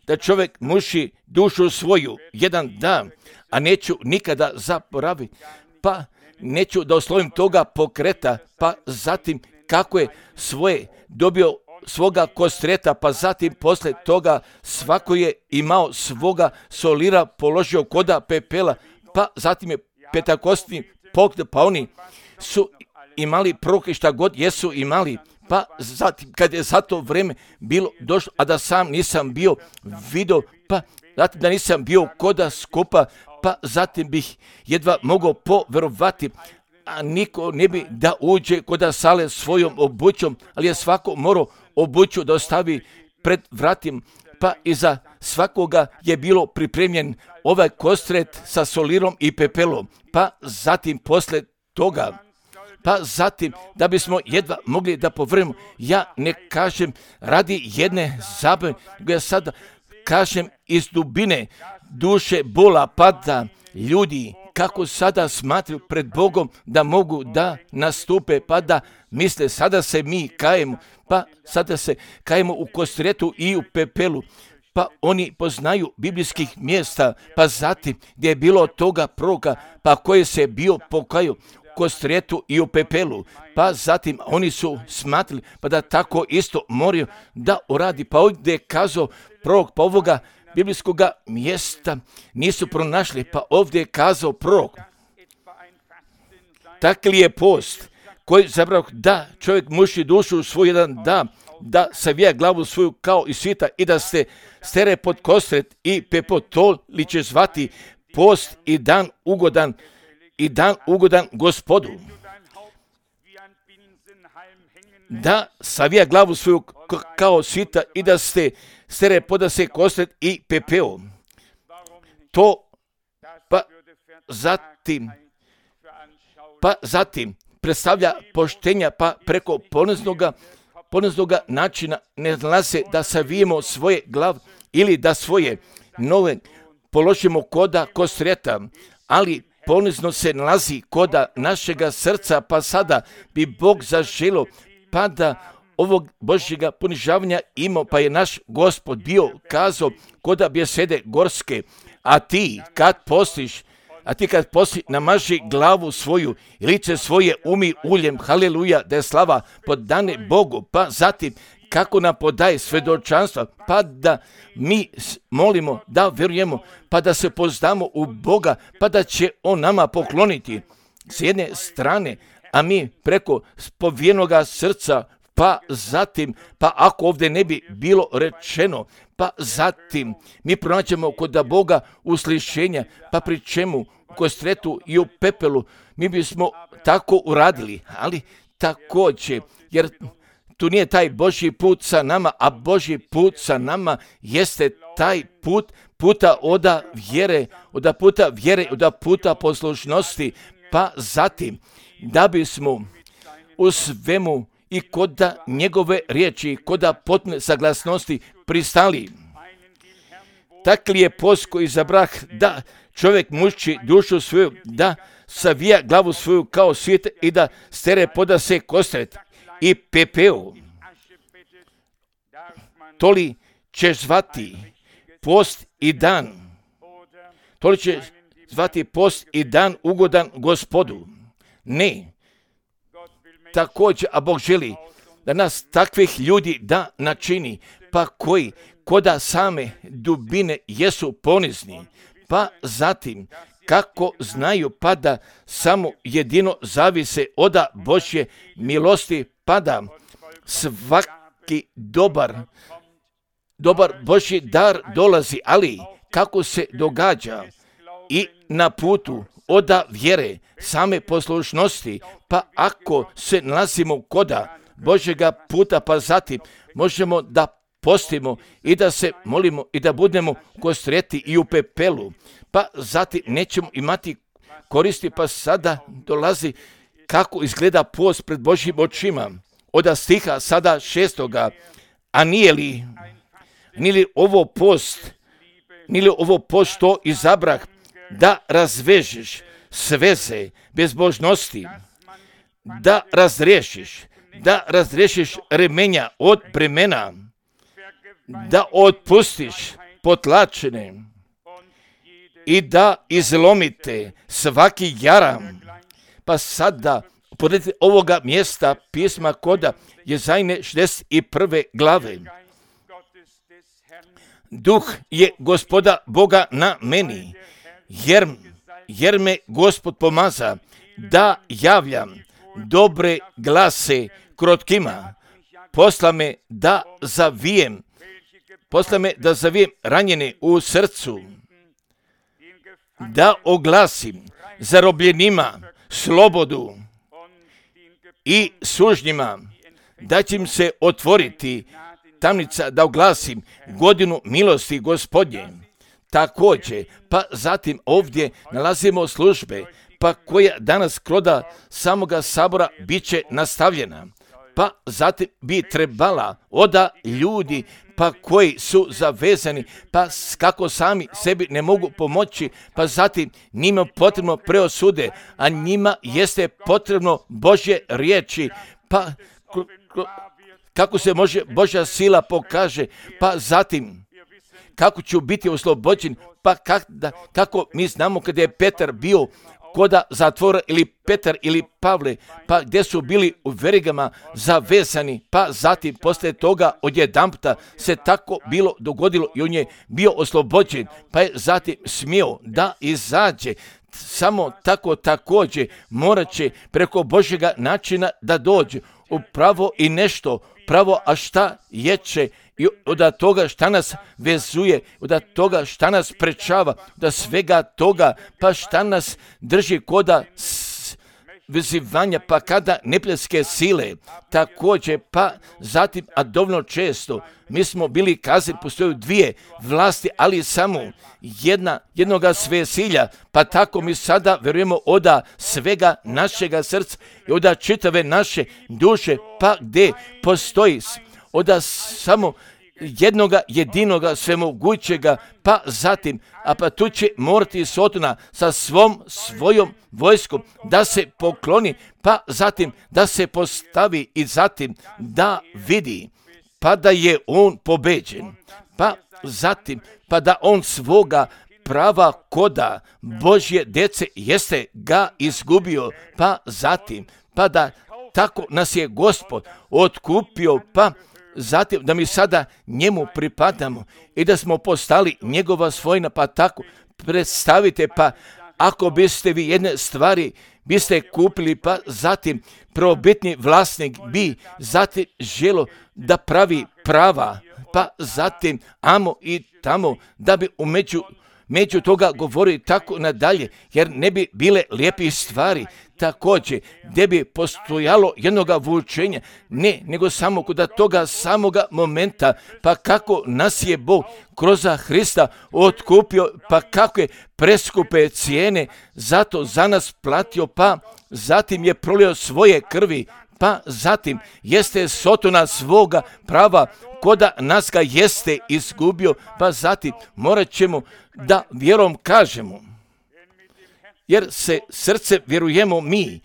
da čovjek muči dušu svoju jedan dan, a neću nikada zaboraviti, pa neću da oslovim toga pokreta, pa zatim kako je svoje dobio svoga kostreta, pa zatim posle toga svako je imao svoga solira položio koda pepela, pa zatim je petakostni pogled, pa oni su imali proroke šta god jesu imali, pa zatim kad je za to vreme bilo došlo, a da sam nisam bio vidio, pa zatim da nisam bio koda skupa, pa zatim bih jedva mogao poverovati, a niko ne bi da uđe koda sale svojom obućom, ali je svako morao obuću da ostavi pred vratim, pa iza svakoga je bilo pripremljen ovaj kostret sa solirom i pepelom, pa zatim posle toga, pa zatim da bismo jedva mogli da povrnemo, ja ne kažem radi jedne zabave, nego ja sada kažem iz dubine duše bola pada ljudi kako sada smatruju pred Bogom da mogu da nastupe, pa da misle sada se mi kajemo, pa sada se kajemo u kostretu i u pepelu, pa oni poznaju biblijskih mjesta, pa zatim gdje je bilo toga proroka, pa koji se bio pokajao u kostretu i u pepelu, pa zatim oni su smatrali pa da tako isto moraju da uradi, pa ovdje je kazao prorok, pa ovoga biblijskoga mjesta nisu pronašli, pa ovdje je kazao prorok. Tako li je post koji zabrao da čovjek muši dušu u svoj jedan dan, da savija glavu svoju kao i svita i da se stere pod kostret i pepo, to li će zvati post i dan ugodan i dan ugodan Gospodu. Da savija glavu svoju kao svita i da se stere poda se kostret i pepeo. To pa zatim pa zatim predstavlja poštenja, pa preko poniznoga poniznoga načina ne nalaze da savijemo svoje glav ili da svoje nove položimo koda kostreta, ali ponizno se nalazi koda našega srca, pa sada bi Bog zaželio pa da ovog Božjega ponižavanja imao, pa je naš Gospod bio kazao koda bjesede gorske, a ti kad postiš, a ti kad posti namaži glavu svoju i lice svoje umi uljem, haleluja, da je slava podane Bogu, pa zatim kako nam podaje svedočanstva, pa da mi molimo, da vjerujemo, pa da se poznamo u Boga, pa da će On nama pokloniti s jedne strane, a mi preko spovijenoga srca, pa zatim, pa ako ovdje ne bi bilo rečeno, pa zatim mi pronaćemo kod Boga uslišenja, pa pri čemu u kostretu i u pepelu mi bismo tako uradili, ali također, jer tu nije taj Božji put sa nama, a Božji put sa nama jeste taj put puta oda vjere, oda puta vjere, oda puta poslušnosti, pa zatim da bismo u svemu i koda njegove riječi, koda potpune saglasnosti pristali. Takli je post koji zabrah da čovjek muči dušu svoju, da savija glavu svoju kao svijet i da stere poda se kostret i pepeo. Toli ćeš zvati post i dan. Toli ćeš zvati post i dan ugodan Gospodu. Ne. Također, a Bog želi da nas takvih ljudi da načini, pa koji koda same dubine jesu ponizni, pa zatim kako znaju pa da samo jedino zavise od Božje milosti, pa da svaki dobar, dobar Božji dar dolazi, ali kako se događa i na putu od vjere, same poslušnosti, pa ako se nalazimo koda Božjega puta, pa zatim možemo da postimo i da se molimo i da budemo kostreti i u pepelu, pa zatim nećemo imati koristi, pa sada dolazi kako izgleda post pred Božjim očima. Od stiha sada šestoga, a nije li, nije li ovo post, nije li ovo post što izabrah da razvežeš sveze bezbožnosti, da razriješiš, da razriješiš remenja od bremena, da otpustiš potlačene i da izlomite svaki jaram. Pa sada podredite ovoga mjesta pisma koda Jezajne šezdeset prve glave. Duh je Gospoda Boga na meni, jer, jer me Gospod pomaza da javljam dobre glase krotkima. Posla me da zavijem, posla me da zavijem ranjene u srcu, da oglasim zarobljenima slobodu i sužnjima, da će im se otvoriti tamnica, da oglasim godinu milosti Gospodnje. Također, pa zatim ovdje nalazimo službe, pa koja danas kroda samoga sabora bit će nastavljena. Pa zatim bi trebala oda ljudi pa koji su zavezani, pa kako sami sebi ne mogu pomoći, pa zatim njima potrebno preosude, a njima jeste potrebno Božje riječi, pa kako se može Božja sila pokaže, pa zatim kako ću biti oslobođen, pa kak, da, kako mi znamo kada je Petar bio koda zatvora, ili Petar ili Pavle, pa gdje su bili u verigama zavezani, pa zatim poslije toga odjedanputa se tako bilo dogodilo i on je bio oslobođen, pa je zatim smio da izađe. Samo tako također morat će preko Božjega načina da dođe upravo i nešto pravo, a šta jeće i od toga šta nas vezuje, od toga šta nas prečava, da svega toga, pa šta nas drži koda vezivanja, pa kada neprijateljske sile, također, pa zatim, a dovoljno često, mi smo bili kazani, postoje dvije vlasti, ali samo jedna, jednoga svesilja, pa tako mi sada verujemo oda svega našega srca i oda čitave naše duše, pa gdje postoji oda samo jednoga jedinoga svemogućega, pa zatim, a pa tu će morati Sotona sa svom svojom vojskom da se pokloni, pa zatim da se postavi i zatim da vidi, pa da je on pobeđen, pa zatim, pa da on svoga prava koda Božje djece jeste ga izgubio, pa zatim, pa da tako nas je Gospod otkupio, pa zatim da mi sada njemu pripadamo i da smo postali njegova svojina, pa tako predstavite, pa ako biste vi jedne stvari biste kupili, pa zatim prvobitni vlasnik bi zatim želo da pravi prava, pa zatim amo i tamo da bi umeđu među toga govori tako nadalje, jer ne bi bile lijepi stvari, također, gdje bi postojalo jednoga vučenja, ne, nego samo kod toga samoga momenta, pa kako nas je Bog kroz Hrista otkupio, pa kako je preskupe cijene zato za nas platio, pa zatim je prolio svoje krvi, pa zatim jeste sotona svoga prava, koda nas ga jeste izgubio, pa zatim morat ćemo da vjerom kažemo, jer se srce vjerujemo mi,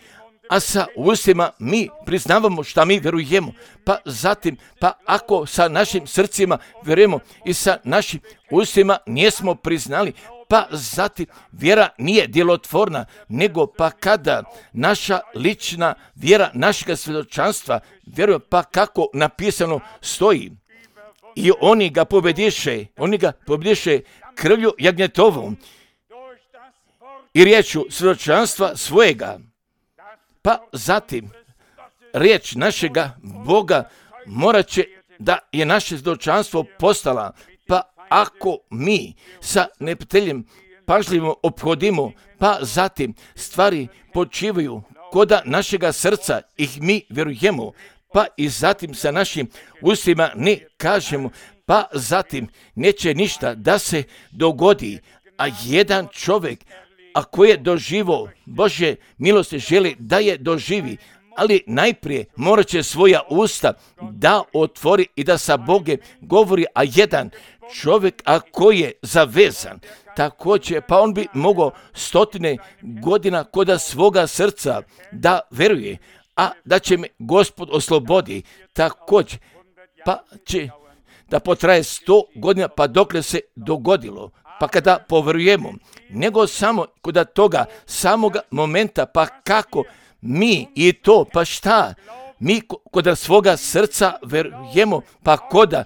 a sa ustima mi priznavamo šta mi vjerujemo, pa zatim, pa ako sa našim srcima vjerujemo i sa našim ustima nismo priznali, pa zatim vjera nije djelotvorna, nego pa kada naša lična vjera našega svjedočanstva vjeruje, pa kako napisano stoji, i oni ga pobediše, oni ga pobediše krvlju jagnjetovom i riječu svjedočanstva svojega. Pa zatim riječ našega Boga morat će da je naše svjedočanstvo postala, pa ako mi sa neprijateljem pažljivo ophodimo, pa zatim stvari počivaju koda našega srca, ih mi vjerujemo, pa i zatim sa našim ustima ne kažemo, pa zatim neće ništa da se dogodi, a jedan čovjek, a koji je doživo Božje milosti, želi da je doživi, ali najprije morat će svoja usta da otvori i da sa Bogom govori, a jedan čovjek, a koji je zavezan, također, pa on bi mogao stotine godina koda svoga srca da veruje, a da će me Gospod oslobodi, također, pa će da potraje sto godina, pa dokle se dogodilo, pa kada poverujemo, nego samo kod toga samoga momenta, pa kako mi i to, pa šta, mi kod svoga srca verujemo, pa koda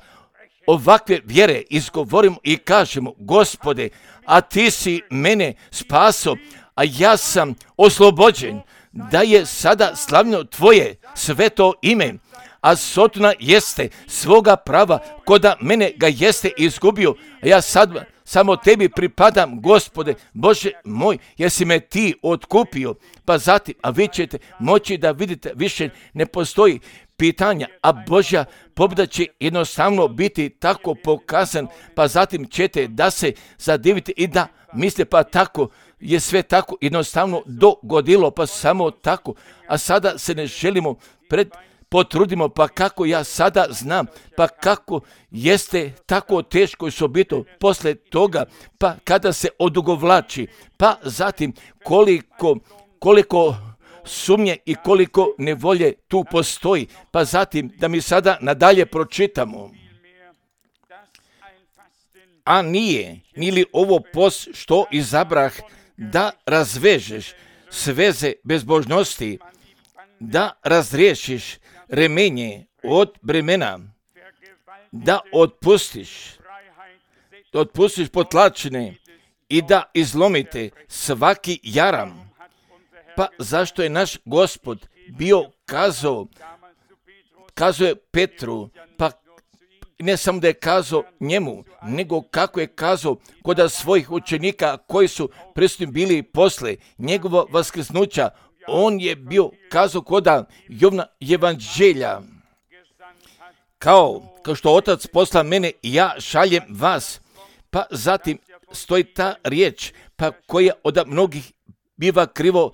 ovakve vjere izgovorimo i kažemo, Gospode, a ti si mene spaso, a ja sam oslobođen, da je sada slavno tvoje sveto ime, a sotona jeste svoga prava, koda mene ga jeste izgubio, a ja sad samo tebi pripadam, Gospode, Bože moj, jer si me ti otkupio, pa zatim, a vi ćete moći da vidite, više ne postoji pitanja, a Božja pobjeda će jednostavno biti tako pokazan, pa zatim ćete da se zadivite i da misle, pa tako je sve tako jednostavno dogodilo, pa samo tako, a sada se ne želimo pred potrudimo, pa kako ja sada znam, pa kako jeste tako teško i sobito posle toga, pa kada se odugovlači, pa zatim koliko, koliko sumnje i koliko nevolje tu postoji, pa zatim da mi sada nadalje pročitamo. A nije, nili ovo post što izabrah da razvežeš sveze bezbožnosti, da razriješiš remenje od bremena, da otpustiš, da otpustiš potlačene i da izlomite svaki jaram. Pa zašto je naš Gospod bio kazao, kazao je Petru, pa ne samo da je kazao njemu, nego kako je kazao kod svojih učenika koji su prisutni bili posle njegova vaskrsnuća, on je bio kazao koda Jovna evanđelja, kao, kao što Otac posla mene i ja šaljem vas, pa zatim stoji ta riječ, pa koja od mnogih biva krivo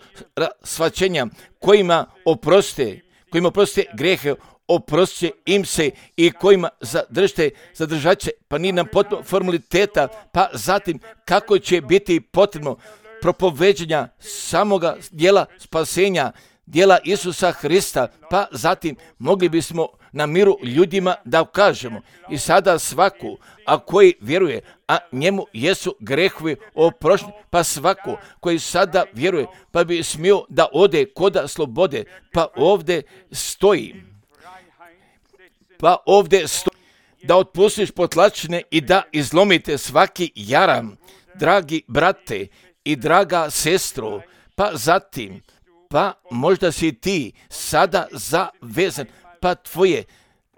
shvaćenja, kojima oproste, kojima oproste grehe, oproste im se i kojima zadržite, zadržat će, pa ni nam potpuno formaliteta, pa zatim kako će biti potrebno propoveđenja samoga dijela spasenja, dijela Isusa Hrista, pa zatim mogli bismo na miru ljudima da kažemo i sada svaku, a koji vjeruje, a njemu jesu grehovi oprošteni, pa svako koji sada vjeruje, pa bi smio da ode koda slobode, pa ovdje stoji, pa ovdje stoji, da otpustiš potlačene i da izlomite svaki jaram, dragi brate i draga sestro, pa zatim, pa možda si ti sada zavezan, pa tvoje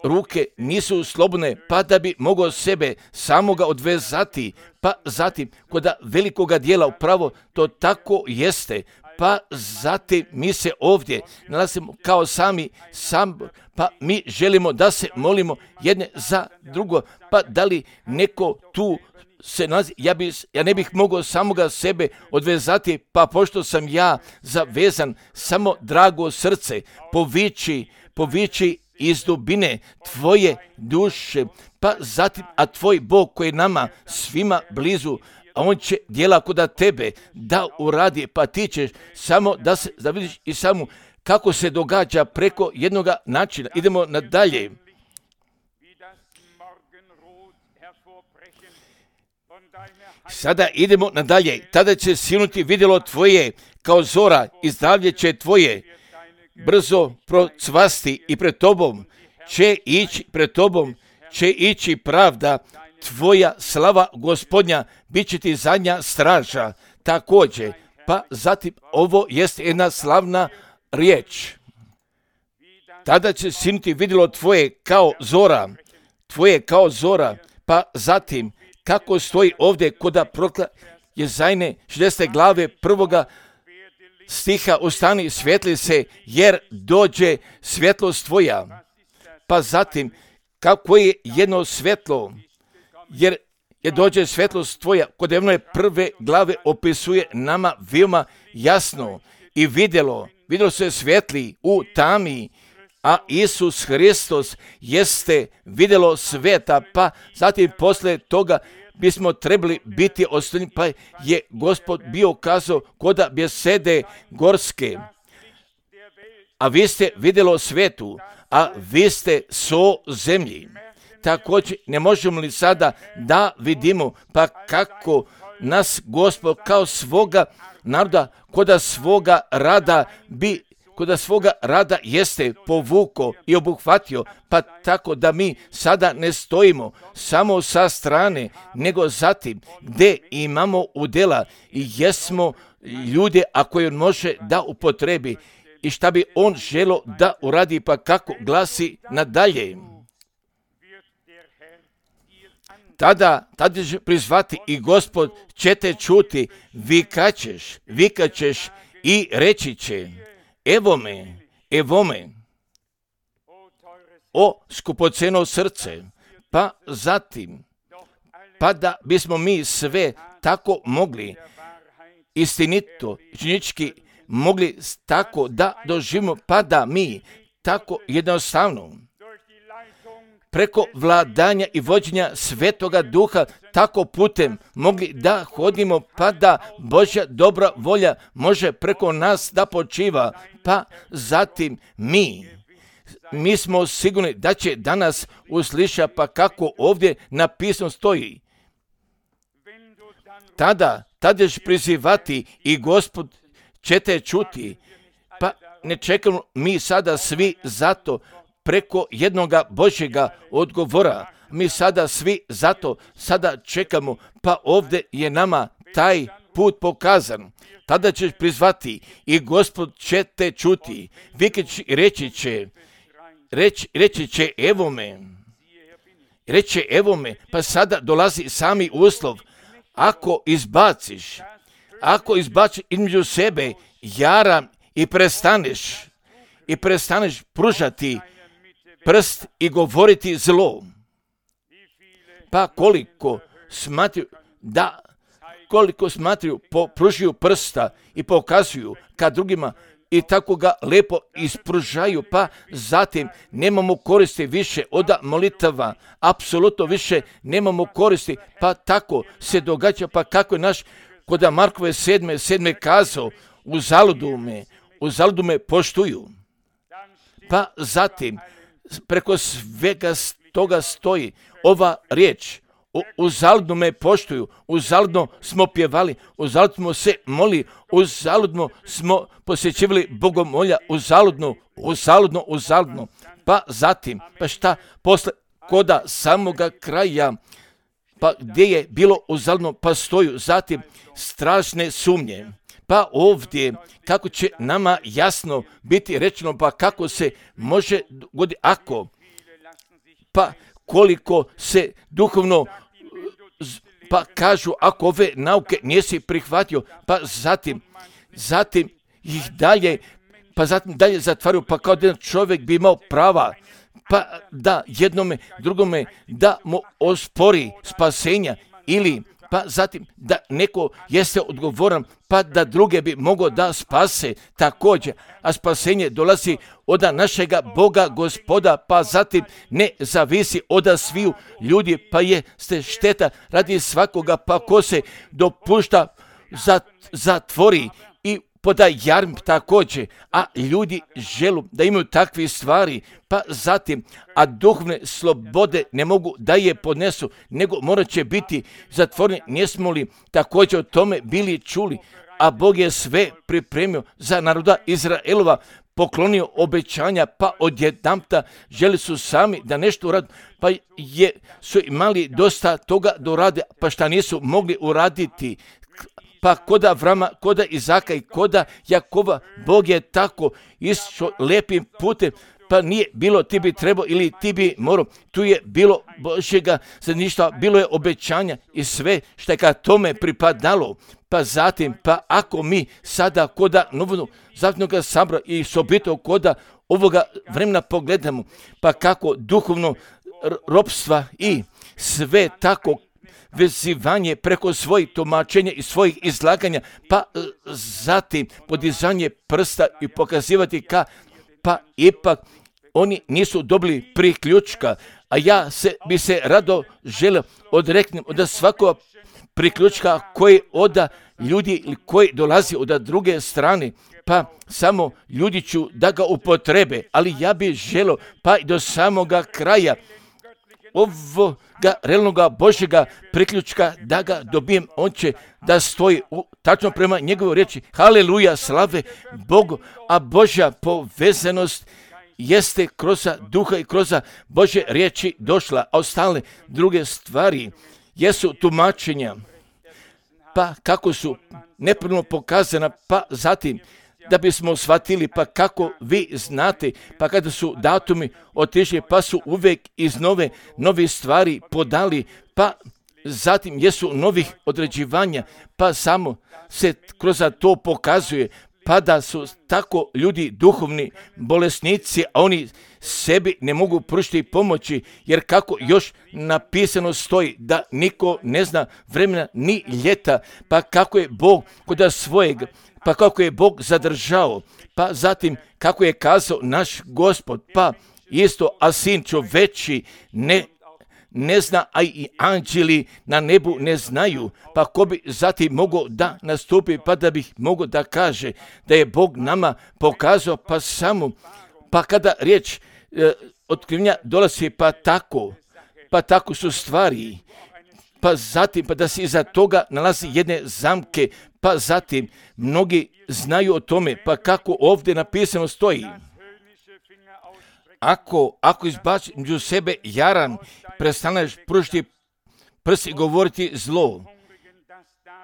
ruke nisu slobodne, pa da bi mogao sebe samoga odvezati, pa zatim kod velikoga dijela upravo to tako jeste, pa zatim mi se ovdje nalazimo kao sami sabor, pa mi želimo da se molimo jedne za drugo, pa da li neko tu se nalazi, ja, bi, ja ne bih mogao samoga sebe odvezati, pa pošto sam ja zavezan, samo drago srce, povići, povići iz dubine tvoje duše, pa zatim, a tvoj Bog koji je nama svima blizu, a on će djela koda tebe da uradi, pa ti ćeš samo da se da vidiš i samo kako se događa preko jednog načina. Idemo nadalje. Sada idemo nadalje. Tada će sinuti vidjelo tvoje kao zora i zdravlje će tvoje brzo procvasti i pred tobom će ići, pred tobom će ići pravda, tvoja slava Gospodnja bit će ti zadnja straža. Također, pa zatim ovo jest jedna slavna riječ. Tada će sinuti vidjelo tvoje kao zora, tvoje kao zora, pa zatim kako stoji ovdje koda prokla Jezajne šezdeset glave prvoga stiha, ustani, svijetli se, jer dođe svjetlost tvoja. Pa zatim, kako je jedno svjetlo, jer je dođe svjetlost tvoja, kod jedne prve glave opisuje nama veoma jasno i vidjelo, vidjelo se svjetli u tami, a Isus Hristos jeste vidjelo sveta, pa zatim posle toga bismo trebali biti ostavljeni, pa je Gospod bio kazao koda bjesede gorske, a vi ste vidjelo svetu, a vi ste so zemlji. Također ne možemo li sada da vidimo pa kako nas Gospod kao svoga naroda, koda svoga rada bi koda svoga rada jeste povuko i obuhvatio, pa tako da mi sada ne stojimo samo sa strane, nego zatim gdje imamo udjela i jesmo ljude, a koje on može da upotrebi i šta bi on želo da uradi, pa kako glasi nadalje. Tada, tada će prizvati i Gospod će te čuti, vikaćeš, vikaćeš i reći će, evo me, evo me, o skupoceno srce, pa zatim, pa da bismo mi sve tako mogli, istinito, činički, mogli tako da doživimo, pa da mi tako jednostavno, preko vladanja i vođenja Svetoga Duha, tako putem mogli da hodimo, pa da Božja dobra volja može preko nas da počiva, pa zatim mi, mi smo sigurni da će danas usliša, pa kako ovdje napisano stoji. Tada, tada ćeš prizivati i Gospod će te čuti, pa ne čekamo mi sada svi zato, preko jednoga Božjega odgovora. Mi sada svi zato sada čekamo, pa ovdje je nama taj put pokazan. Tada ćeš prizvati i Gospod će te čuti. Vikać reći će, reći, reći će evo me, reći evo me, pa sada dolazi sami uslov. Ako izbaciš, ako izbaciš između sebe jaram i prestaneš, i prestaneš pružati prst i govoriti zlo, pa koliko smatruju da, koliko smatruju, pružuju prsta i pokazuju ka drugima i tako ga lepo ispružaju, pa zatim nemamo koristi više od molitava, apsolutno više nemamo koristi, pa tako se događa, pa kako je naš kod Markove sedme, sedme kazao, uzaludu me, uzaludu me poštuju, pa zatim preko svega toga stoji ova riječ, uzaludno me poštuju, uzaludno smo pjevali, uzaludno smo se moli, uzaludno smo posjećivali bogomolja, uzaludno, uzaludno, uzaludno, pa zatim, pa šta, posle koda samoga kraja, pa gdje je bilo uzaludno, pa stoju zatim strašne sumnje. Pa ovdje, kako će nama jasno biti rečeno, pa kako se može dogoditi, ako, pa koliko se duhovno, pa kažu, ako ove nauke nisi prihvatio, pa zatim, zatim ih dalje, pa zatim dalje zatvaraju, pa kao da jedan čovjek bi imao prava, pa da jednome, drugome, da mu ospori spasenja, ili pa zatim da neko jeste odgovoran, pa da druge bi mogao da spase također, a spasenje dolazi od našega Boga Gospoda, pa zatim ne zavisi od sviju ljudi, pa je ste šteta radi svakoga, pa ko se dopušta zatvori i poda jarm također, a ljudi želu da imaju takve stvari, pa zatim, a duhovne slobode ne mogu da je podnesu, nego morat će biti zatvoreni. Nismo li također o tome bili čuli, a Bog je sve pripremio za naroda Izraelova, poklonio obećanja, pa odjedanput želi su sami da nešto urade, pa je, su imali dosta toga da urade, pa šta nisu mogli uraditi. Pa koda Avrama, koda Izaka i koda Jakova, Bog je tako išao lijepim putem, pa nije bilo ti bi trebao ili ti bi morao, tu je bilo Božjega zajedništva, bilo je obećanja i sve što je ka tome pripadalo. Pa zatim, pa ako mi sada koda novog zavetnog sabora i sobito koda ovoga vremena pogledamo, pa kako duhovno ropstva i sve tako vezivanje preko svojih tumačenja i svojih izlaganja, pa zatim podizanje prsta i pokazivati ka, pa ipak oni nisu dobili priključka, a ja se bi se rado želio odreknem od svakog priključka koji od ljudi koji dolazi od druge strane, pa samo ljudi ću da ga upotrebe, ali ja bih želio pa i do samoga kraja ovoga realnoga Božjega priključka da ga dobijem, on će da stoji u, tačno prema njegovoj riječi. Haleluja, slave Bogu, a Božja povezanost jeste kroz duha i kroz Božje riječi došla, a ostale druge stvari jesu tumačenja, pa kako su nepravilno pokazana, pa zatim da bismo shvatili, pa kako vi znate, pa kada su datumi otišli, pa su uvijek iz nove, nove stvari podali, pa zatim jesu novih određivanja, pa samo se kroz to pokazuje, pa da su tako ljudi duhovni bolesnici, a oni sebi ne mogu pružiti pomoći, jer kako još napisano stoji da niko ne zna vremena ni ljeta, pa kako je Bog kod svojeg, pa kako je Bog zadržao, pa zatim kako je kazao naš Gospod, pa isto, a sin čoveči ne ne zna, a i anđeli na nebu ne znaju, pa ko bi zatim mogao da nastupi, pa da bih mogao da kaže da je Bog nama pokazao, pa samo, pa kada riječ e, otkrivenja dolazi, pa tako, pa tako su stvari, pa zatim, pa da se iza toga nalazi jedne zamke, pa zatim mnogi znaju o tome, pa kako ovdje napisano stoji. Ako, ako izbaciš među sebe jaran, prestaneš pružiti prst i govoriti zlo.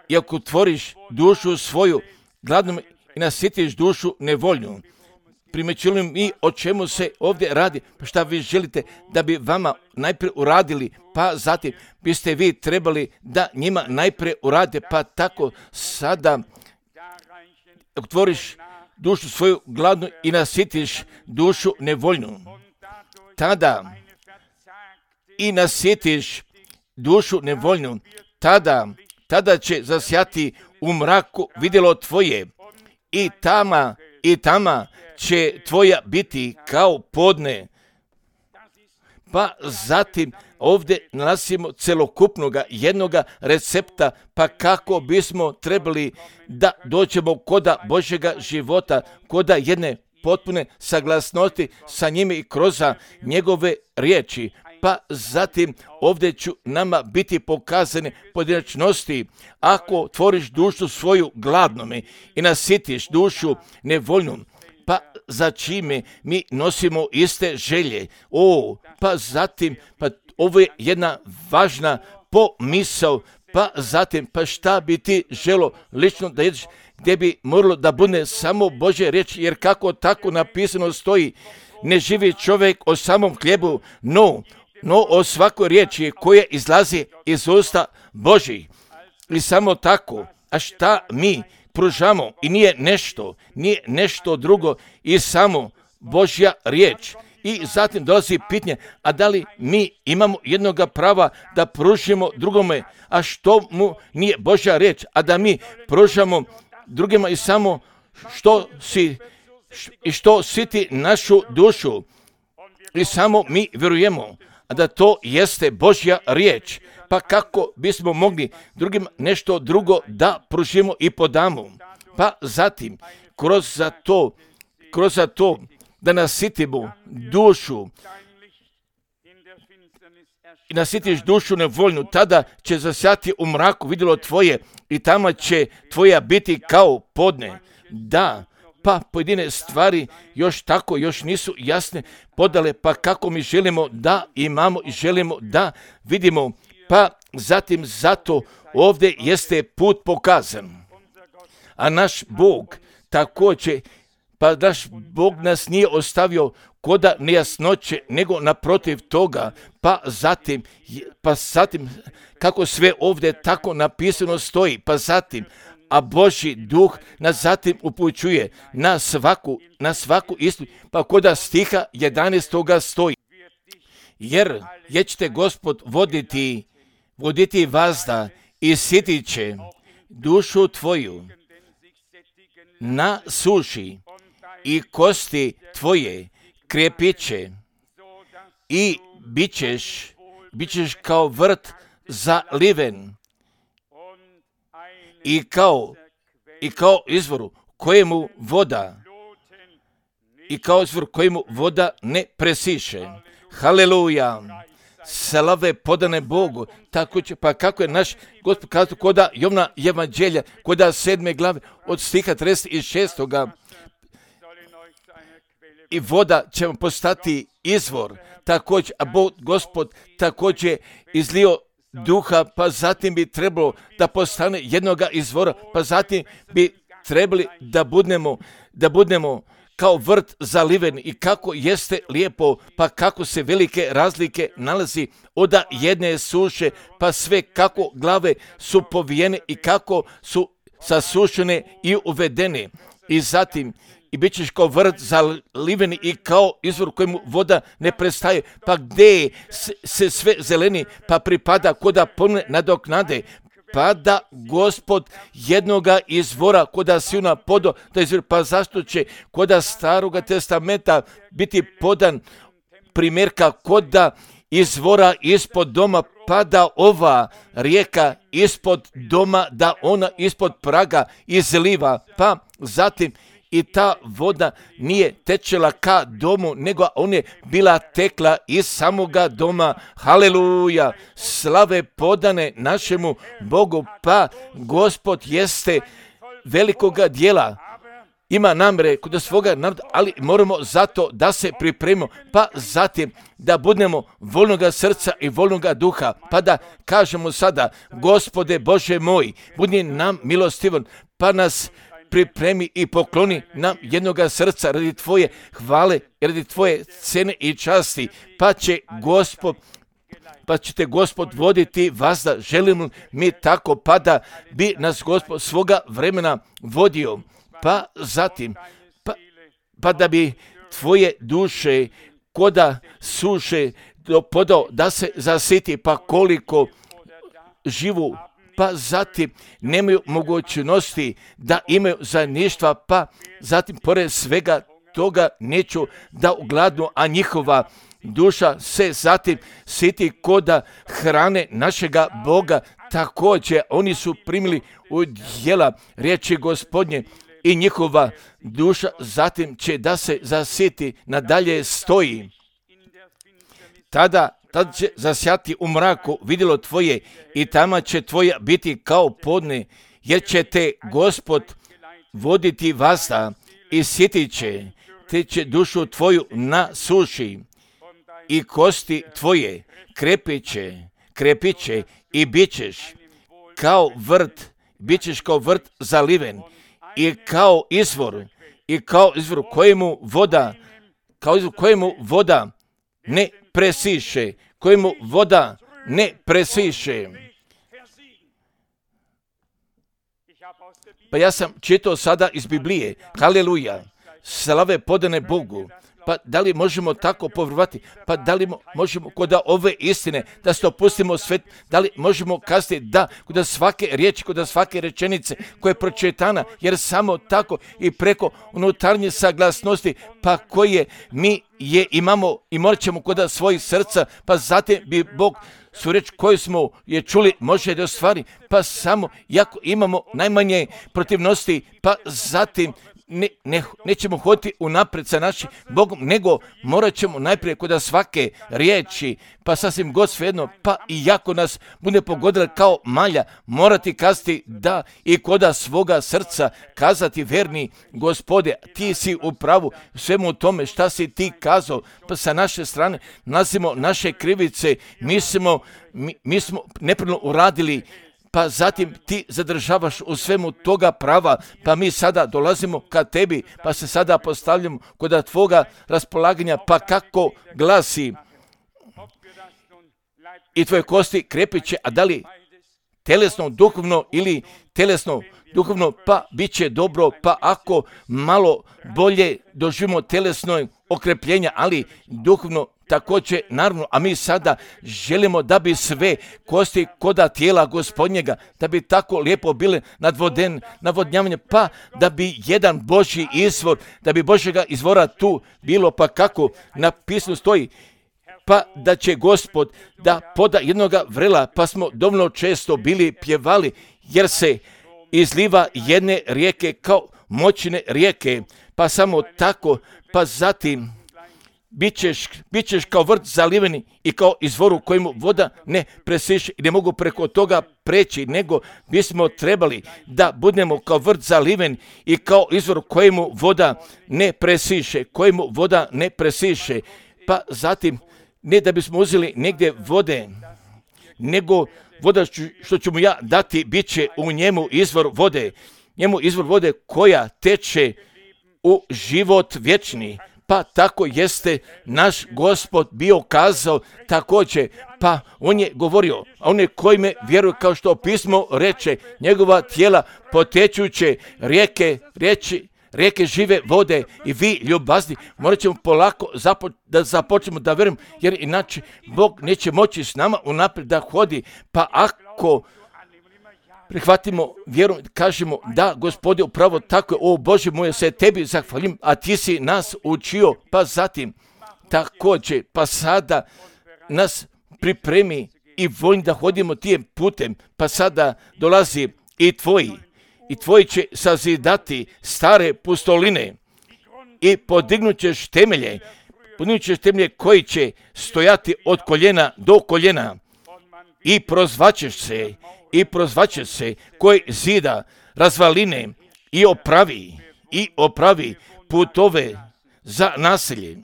I ako otvoriš dušu svoju gladnom i nasitiš dušu nevoljnu. Primećili mi o čemu se ovdje radi, pa šta vi želite da bi vama najprije uradili, pa zatim biste vi trebali da njima najprije urade, pa tako sada ako otvoriš dušu svoju gladnu i nasitiš dušu nevoljnu, tada i nasitiš dušu nevoljnu, tada, tada će zasjati u mraku vidjelo tvoje i tama, i tama će tvoja biti kao podne. Pa zatim ovdje nalazimo celokupnoga jednoga recepta, pa kako bismo trebali da dođemo koda Božjega života, koda jedne potpune saglasnosti sa njime i kroz njegove riječi. Pa zatim ovdje ću nama biti pokazane pojedinačnosti. Ako tvoriš dušu svoju gladnome i nasitiš dušu nevoljnom, pa za čime mi nosimo iste želje. O, pa zatim, pa ovo je jedna važna pomisao, pa zatim, pa šta bi ti želo lično da jedeš, gdje bi moralo da bude samo Božje riječi, jer kako tako napisano stoji, ne živi čovjek o samom hljebu, no, no o svakoj riječi koja izlazi iz usta Božjih. I samo tako, a šta mi pružamo i nije nešto, nije nešto drugo i samo Božja riječ. I zatim dolazi pitanje, a da li mi imamo jednoga prava da pružimo drugome, a što mu nije Božja riječ, a da mi pružamo drugima i samo što si i što siti našu dušu i samo mi vjerujemo, a da to jeste Božja riječ. Pa kako bismo mogli drugim nešto drugo da pružimo i podamo? Pa zatim, kroz za to, kroz za to da nasitimo dušu i nasitiš dušu nevoljnu, tada će zasjati u mraku vidjelo tvoje i tamo će tvoja biti kao podne. Da, pa pojedine stvari još tako, još nisu jasne podale, pa kako mi želimo da imamo i želimo da vidimo, pa zatim zato ovdje jeste put pokazan. A naš Bog također, pa naš Bog nas nije ostavio koda nejasnoće, nego naprotiv toga, pa zatim, pa zatim, kako sve ovdje tako napisano stoji, pa zatim, a Božji duh nas zatim upućuje na svaku, na svaku istinu, pa koda stiha jedanaestoga stoji. Jer je ćete Gospod voditi, voditi vazda i sitit će dušu tvoju na suši i kosti tvoje krepit će i bit ćeš, bit ćeš kao vrt zaliven i kao, i kao izvoru kojemu voda i kao izvor kojemu voda ne presiše. Haleluja! Slave podane Bogu. Tako će, pa kako je naš Gospod kazao koda Jovna evanđelja, koda sedme glave od stiha trideset šestoga i voda će vam postati izvor. Također, a Bog Gospod također izlio duha, pa zatim bi trebalo da postane jednoga izvora, pa zatim bi trebali da budemo, da budemo kao vrt zaliven i kako jeste lijepo, pa kako se velike razlike nalazi od jedne suše, pa sve kako glave su povijene i kako su sasušene i uvedene. I zatim, i bit ćeš kao vrt zaliveni i kao izvor kojemu voda ne prestaje, pa gdje se sve zeleni, pa pripada koda pomne nadoknade, pa da Gospod jednoga izvora koda silna podo, da izvor, pa zašto će koda Staroga testamenta biti podan primjerka koda izvora ispod doma, pa da ova rijeka ispod doma, da ona ispod praga izliva, pa zatim i ta voda nije tečela ka domu, nego on je bila tekla iz samoga doma. Haleluja! Slave podane našemu Bogu, pa Gospod jeste velikoga dijela. Ima namre kod svoga naroda, ali moramo zato da se pripremimo, pa zatim da budemo voljnoga srca i voljnoga duha, pa da kažemo sada, Gospode Bože moj, budi nam milostivan, pa nas pripremi i pokloni nam jednoga srca radi tvoje hvale, radi tvoje cene i časti, pa će Gospod, pa će te Gospod voditi vazda. Želimo mi tako, pa da bi nas Gospod svoga vremena vodio, pa zatim, pa, pa da bi tvoje duše koda suše podao da se zasiti, pa koliko živu, pa zatim nemaju mogućnosti da imaju zajedništva, pa zatim pored svega toga neću da ugladnu, a njihova duša se zatim siti koda hrane našega Boga. Također oni su primili u djela riječi Gospodnje i njihova duša zatim će da se zasiti, nadalje stoji. Tada Tad će zasjati u mraku vidjelo tvoje i tamo će tvoja biti kao podne, jer će te Gospod voditi vazda i sitit će, te će dušu tvoju na suši i kosti tvoje krepit će, krepit će i bit ćeš kao vrt, bit ćeš kao vrt zaliven i kao izvor, i kao izvor kojemu voda, kao izvor kojemu voda ne presiše, kojemu voda ne presiše. Pa ja sam čitao sada iz Biblije, haleluja, slave podane Bogu. Pa da li možemo tako povjerovati? Pa da li možemo kod ove istine da se opustimo svet? Da li možemo kazati da kod svake riječi, kod svake rečenice koja je pročitana, jer samo tako i preko unutarnje saglasnosti, pa koje mi je imamo i morat ćemo kod svojih srca, pa zatim bi Bog su reč koju smo je čuli može da ostvari, pa samo jako imamo najmanje protivnosti, pa zatim Ne, ne, nećemo hoditi unaprijed sa našim Bogom, nego morat ćemo najprije kod svake riječi, pa sasvim god svejedno, pa i jako nas bude pogodila kao malja, morati kazati da i kod svoga srca kazati verni Gospode, ti si u pravu svemu tome šta si ti kazao, pa sa naše strane nalazimo naše krivice, mi smo, mi, mi smo nepravno uradili, pa zatim ti zadržavaš u svemu toga prava, pa mi sada dolazimo ka tebi, pa se sada postavljamo kod tvoga raspolaganja, pa kako glasi i tvoje kosti krepit će, a da li telesno, duhovno ili telesno, duhovno, pa bit će dobro, pa ako malo bolje doživimo telesno okrepljenja, ali duhovno također, naravno, a mi sada želimo da bi sve kosti koda tijela Gospodnjega, da bi tako lijepo bile nadvoden, navodnjavanje, pa da bi jedan Božji izvor, da bi Božjega izvora tu bilo, pa kako napisano stoji, pa da će Gospod da poda jednoga vrela, pa smo dovoljno često bili pjevali, jer se izliva jedne rijeke kao moćne rijeke, pa samo tako, pa zatim Bićeš, bićeš kao vrt zaliveni i kao izvor u kojemu voda ne presiše i ne mogu preko toga preći, nego bismo trebali da budemo kao vrt zaliven i kao izvor u kojemu voda ne presiše, kojemu voda ne presiše. Pa zatim, ne da bismo uzeli negdje vode, nego voda što ću mu ja dati, bit će u njemu izvor vode, njemu izvor vode koja teče u život vječni. Pa tako jeste naš Gospod bio kazao također, pa on je govorio, a one koji me vjeruju, kao što pismo reče, njegova tijela potečuće rijeke, riječi, rijeke žive vode i vi ljubazni, morat ćemo polako zapo, da započnemo da vjerujemo, jer inače Bog neće moći s nama unaprijed da hodi, pa ako prihvatimo vjeru, kažemo da Gospode upravo tako je, o Bože moj, se tebi zahvalim, a ti si nas učio, pa zatim također, pa sada nas pripremi i voljni da hodimo tijem putem, pa sada dolazi i tvoji, i tvoji će sazidati stare pustoline i podignut ćeš temelje, podignut ćeš temelje koji će stojati od koljena do koljena i prozvaćeš se, i prozvaće se koji zida razvaline i opravi, i opravi putove za naselje.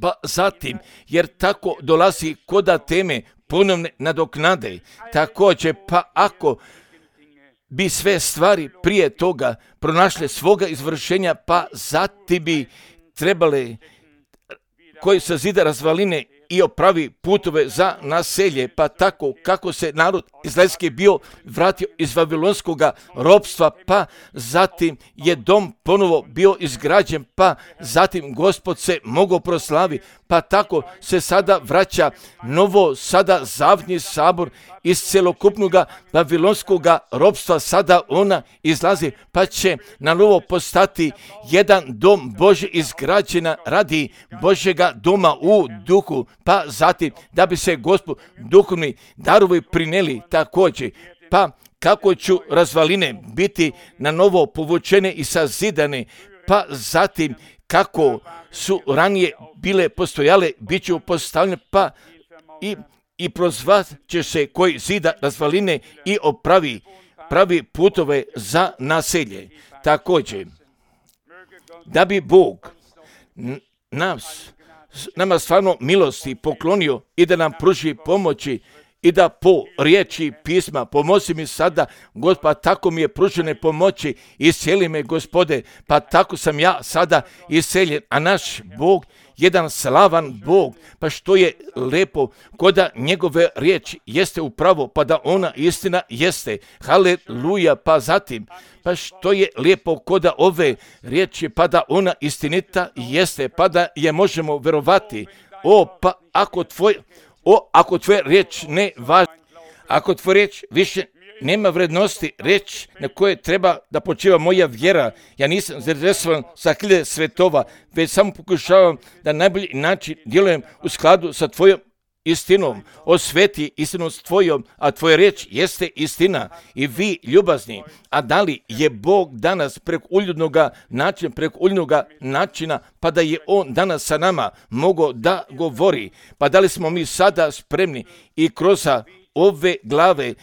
Pa zatim, jer tako dolazi koda teme ponovne nadoknade, također pa ako bi sve stvari prije toga pronašle svoga izvršenja, pa zatim bi trebale koji sazida razvaline i opravi putove za naselje, pa tako kako se narod izraelski bio vratio iz vavilonskog ropstva, pa zatim je dom ponovo bio izgrađen, pa zatim Gospod se mogao proslavi, pa tako se sada vraća novo sada zavni sabor iz celokupnog vavilonskog ropstva, sada ona izlazi, pa će na novo postati jedan dom Božji izgrađena radi Božjega doma u duhu, pa zatim da bi se Gospod duhovni darovi prineli također, pa kako ću razvaline biti na novo povučene i sazidane, pa zatim kako su ranije bile postojale, bit će postavljene, pa i, i prozvat će se koji zida razvaline i opravi pravi putove za naselje. Također, da bi Bog nas, nama stvarno milosti poklonio i da nam pruži pomoći i da po riječi pisma pomozi mi sada, Gospod, pa tako mi je pružene pomoći, iscijeli me, Gospode, pa tako sam ja sada isceljen, a naš Bog, jedan slavan Bog, pa što je lepo, koda njegove riječi jeste upravo, pa da ona istina jeste, haleluja, pa zatim, pa što je lijepo koda ove riječi, pa da ona istinita jeste, pa da je možemo verovati. O, pa ako tvoj, o, ako tvoja riječ ne važi, ako tvoja riječ više nema vrednosti, riječ na koje treba da počiva moja vjera, ja nisam zainteresovan za hiljade svetova, već samo pokušavam da na najbolji način djelujem u skladu sa tvojom istinom. Osveti istinu s tvojom, a tvoja riječ jeste istina. I vi, ljubazni, a da li je Bog danas preko uljudnoga načina, preko uljudnoga načina, pa da je On danas sa nama mogao da govori, pa da li smo mi sada spremni i kroz ove glave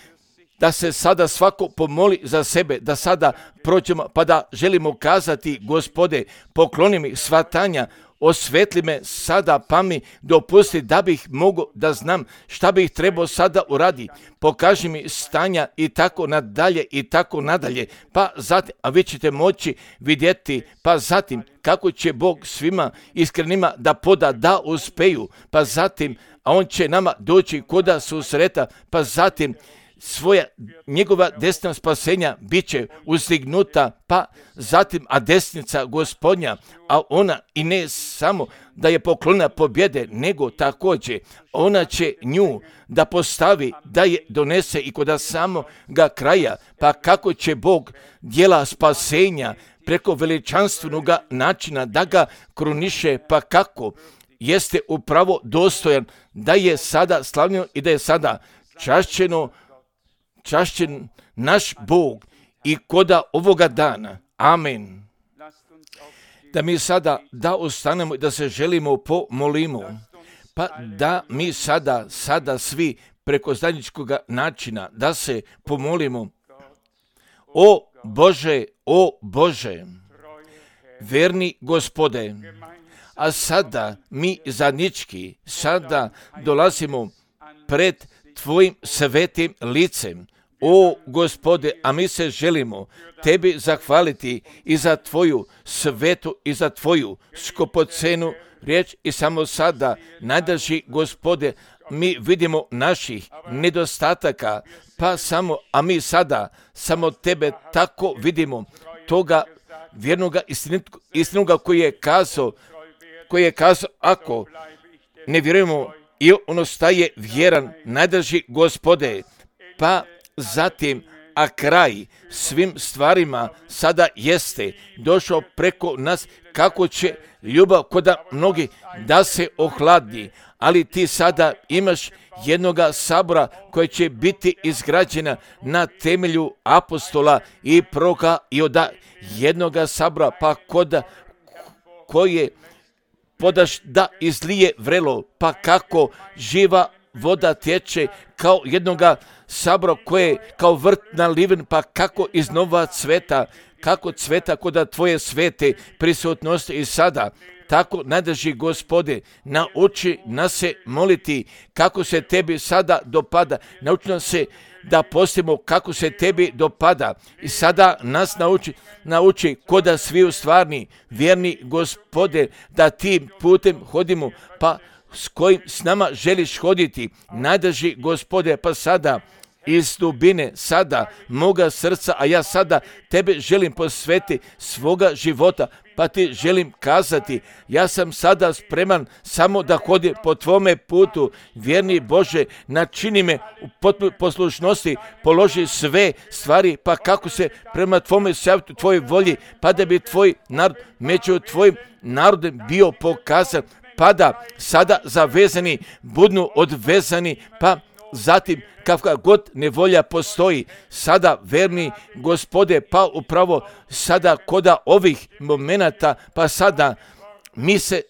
da se sada svako pomoli za sebe, da sada prođemo, pa da želimo kazati, Gospode, pokloni mi shvatanja, osvetli me sada, pa mi dopusti da bih mogao da znam šta bih trebao sada uradi. Pokaži mi stanja i tako nadalje i tako nadalje. Pa zatim, a vi ćete moći vidjeti, pa zatim kako će Bog svima iskrenima da poda da uspeju. Pa zatim, a On će nama doći koda susreta, pa zatim svoja, njegova desna spasenja bit će uzdignuta, pa zatim, a desnica Gospodnja, a ona i ne samo da je poklona pobjede, nego također ona će nju da postavi, da je donese i kod samoga kraja, pa kako će Bog djela spasenja preko veličanstvenog načina da ga kruniše, pa kako jeste upravo dostojan da je sada slavljeno i da je sada čašćeno čašćen naš Bog i koda ovoga dana. Amen. Da mi sada da ostanemo i da se želimo pomolimo, pa da mi sada, sada svi preko zajedničkog načina da se pomolimo. O Bože, o Bože, verni Gospode, a sada mi zajednički, sada dolazimo pred Tvojim svetim licem. O Gospode, a mi se želimo Tebi zahvaliti i za Tvoju svetu i za Tvoju skupocenu riječ i samo sada, najdraži Gospode, mi vidimo naših nedostataka, pa samo, a mi sada samo Tebe tako vidimo, toga vjernoga istinoga koji je kazao, koji je kazao, ako ne vjerujemo, i on ostaje vjeran, najdraži Gospode, pa zatim, a kraj svim stvarima sada jeste došao preko nas, kako će ljubav koda mnogi da se ohladi, ali ti sada imaš jednoga sabora koji će biti izgrađena na temelju apostola i proroka i od jednoga sabora, pa koda koje podaš da izlije vrelo, pa kako živa voda tječe kao jednoga sabora koje kao vrt naliven, pa kako iznova cveta, kako cveta koda Tvoje svete prisutnosti i sada. Tako, najdraži Gospode, nauči nas se moliti kako se Tebi sada dopada. Nauči nas se da postimo kako se Tebi dopada. I sada nas nauči, nauči koda svi u stvarni, vjerni Gospode, da tim putem hodimo, pa s kojim s nama želiš hoditi. Najdraži Gospode, pa sada iz dubine sada moga srca, a ja sada Tebe želim posveti svoga života, pa Ti želim kazati, ja sam sada spreman samo da hodim po Tvome putu, vjerni Bože, načini me u potpunoj poslušnosti, položi sve stvari, pa kako se prema Tvome savjetu, Tvojoj volji, pa da bi Tvoj narod među Tvojim narodom bio pokazan, pa da sada zavezani budnu odvezani, pa zatim kakva god nevolja postoji, sada verni Gospode, pa upravo sada koda ovih momenata, pa sada mi se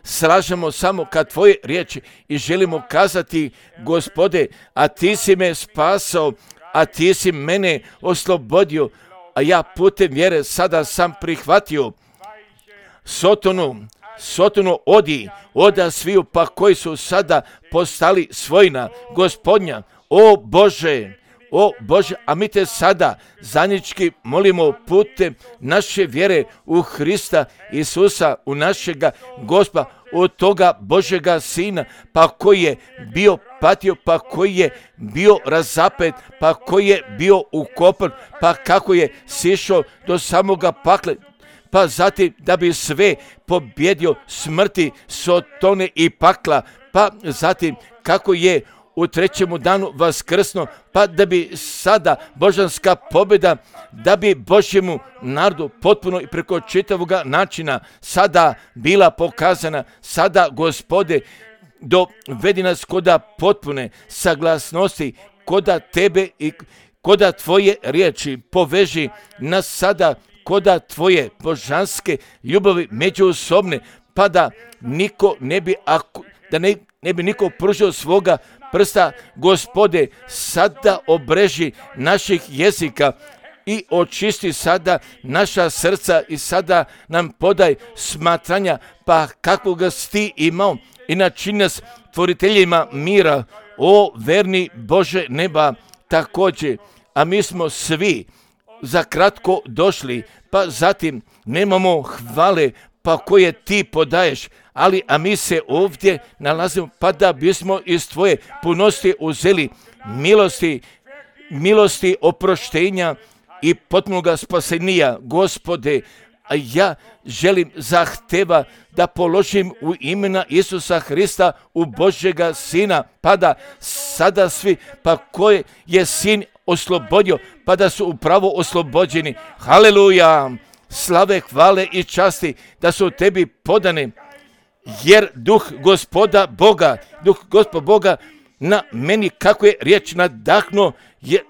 slažemo samo kad Tvoje riječi i želimo kazati, Gospode, a Ti si me spasao, a Ti si mene oslobodio, a ja putem vjere sada sam prihvatio Sotonu, Sotonu odi, oda sviju, pa koji su sada postali svojina Gospodnja, O Bože, o Bože, a mi te sada zajednički molimo putem naše vjere u Hrista Isusa, u našega Gospoda, od toga Božega Sina, pa koji je bio patio, pa koji je bio razapet, pa koji je bio ukopan, pa kako je sišao do samoga pakle, pa zatim da bi sve pobjedio smrti, sotone i pakla, pa zatim kako je u trećemu danu vaskrsno, pa da bi sada božanska pobjeda, da bi Božjemu narodu potpuno i preko čitavoga načina sada bila pokazana, sada Gospode dovedi nas koda potpune saglasnosti, koda tebe i koda tvoje riječi, poveži nas sada koda tvoje božanske ljubavi međusobne, pa da niko ne bi, ako, da ne, ne bi niko pružio svoga prsta, Gospode, sada obreži naših jezika i očisti sada naša srca i sada nam podaj smatranja, pa kako ga si ti imao i načini nas tvoriteljima mira, o verni Bože neba, također, a mi smo svi za kratko došli, pa zatim nemamo hvale, pa koje ti podaješ, ali a mi se ovdje nalazimo, pa da bismo iz tvoje punosti uzeli milosti, milosti oproštenja i potpunoga spasenija, Gospode, a ja želim zahteva da položim u imena Isusa Hrista u Božjega Sina, pa da sada svi, pa koje je Sin oslobodio, pa da su upravo oslobođeni. Haleluja! Slave, hvale i časti da su tebi podane, jer duh Gospoda Boga, duh Gospoda Boga na meni, kako je riječ nadahnuo,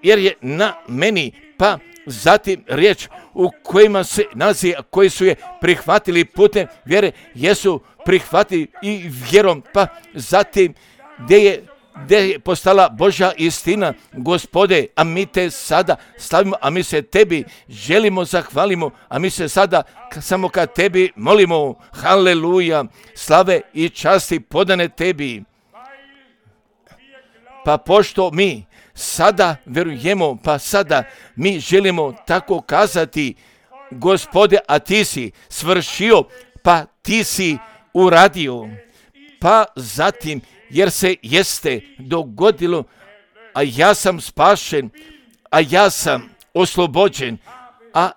jer je na meni, pa zatim riječ u kojima se nalazi, koji su je prihvatili putem vjere, jesu prihvatili i vjerom, pa zatim gdje je gdje je postala Božja istina, Gospode, a mi te sada slavimo, a mi se tebi želimo, zahvalimo, a mi se sada samo ka tebi molimo. Haleluja, slave i časti podane tebi. Pa pošto mi sada verujemo, pa sada mi želimo tako kazati, Gospode, a ti si svršio, pa ti si uradio, pa zatim jer se jeste dogodilo, a ja sam spašen, a ja sam oslobođen, a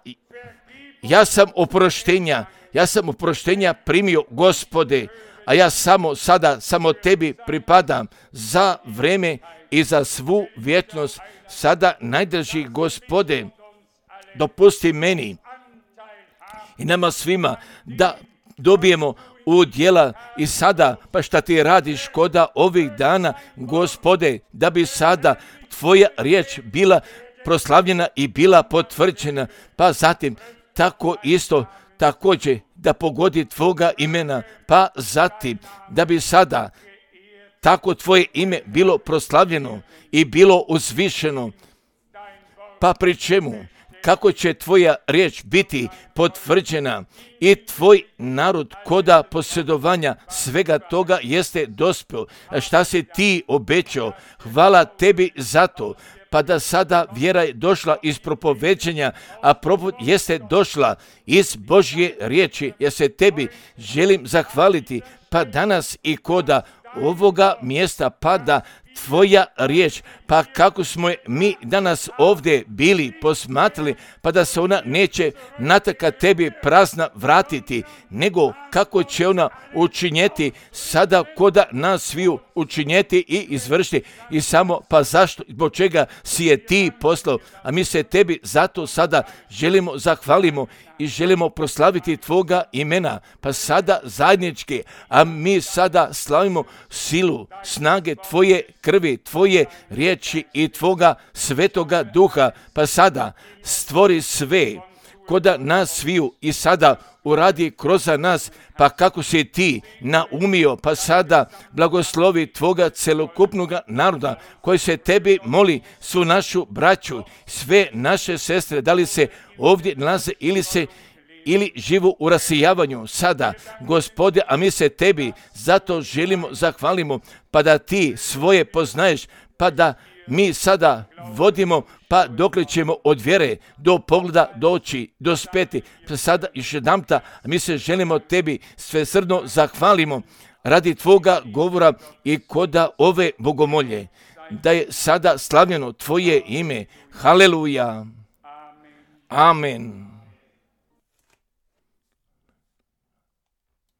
ja sam oproštenja, ja sam oproštenja primio, Gospode, a ja samo sada, samo tebi pripadam za vreme i za svu vječnost. Sada, najdraži Gospode, dopusti meni i nama svima da dobijemo udjela i sada, pa šta ti radiš koda ovih dana, Gospode, da bi sada tvoja riječ bila proslavljena i bila potvrđena, pa zatim tako isto također da pogodi tvoga imena, pa zatim da bi sada tako tvoje ime bilo proslavljeno i bilo uzvišeno, pa pri čemu kako će tvoja riječ biti potvrđena i tvoj narod koda posjedovanja svega toga jeste dospio, šta si ti obećao. Hvala tebi za to, pa da sada vjera je došla iz propoveđenja, a propoved jeste došla iz Božje riječi, jer se tebi želim zahvaliti, pa danas i koda ovoga mjesta pada tvoja riječ, pa kako smo je mi danas ovdje bili posmatrali, pa da se ona neće nataka tebi prazna vratiti, nego kako će ona učinjeti sada koda nas sviju učinjeti i izvršiti. I samo, pa zašto, zbog čega si je ti poslao, a mi se tebi zato sada želimo zahvalimo i želimo proslaviti tvoga imena, pa sada zajednički, a mi sada slavimo silu, snage tvoje krvi, tvoje riječi i tvoga svetoga duha, pa sada stvori sve koda nas sviju i sada uradi kroz nas, pa kako si ti naumio, pa sada blagoslovi tvoga celokupnoga naroda koji se tebi moli, svu našu braću, sve naše sestre, da li se ovdje nalaze ili se ili živu u rasijavanju sada, Gospode, a mi se tebi zato želimo, zahvalimo, pa da ti svoje poznaješ, pa da mi sada vodimo, pa dokle ćemo od vjere do pogleda doći, do speti. Pa sada još jedanputa mi se želimo tebi svesrdno zahvalimo radi tvoga govora i koda ove bogomolje, da je sada slavljeno tvoje ime. Haleluja. Amen.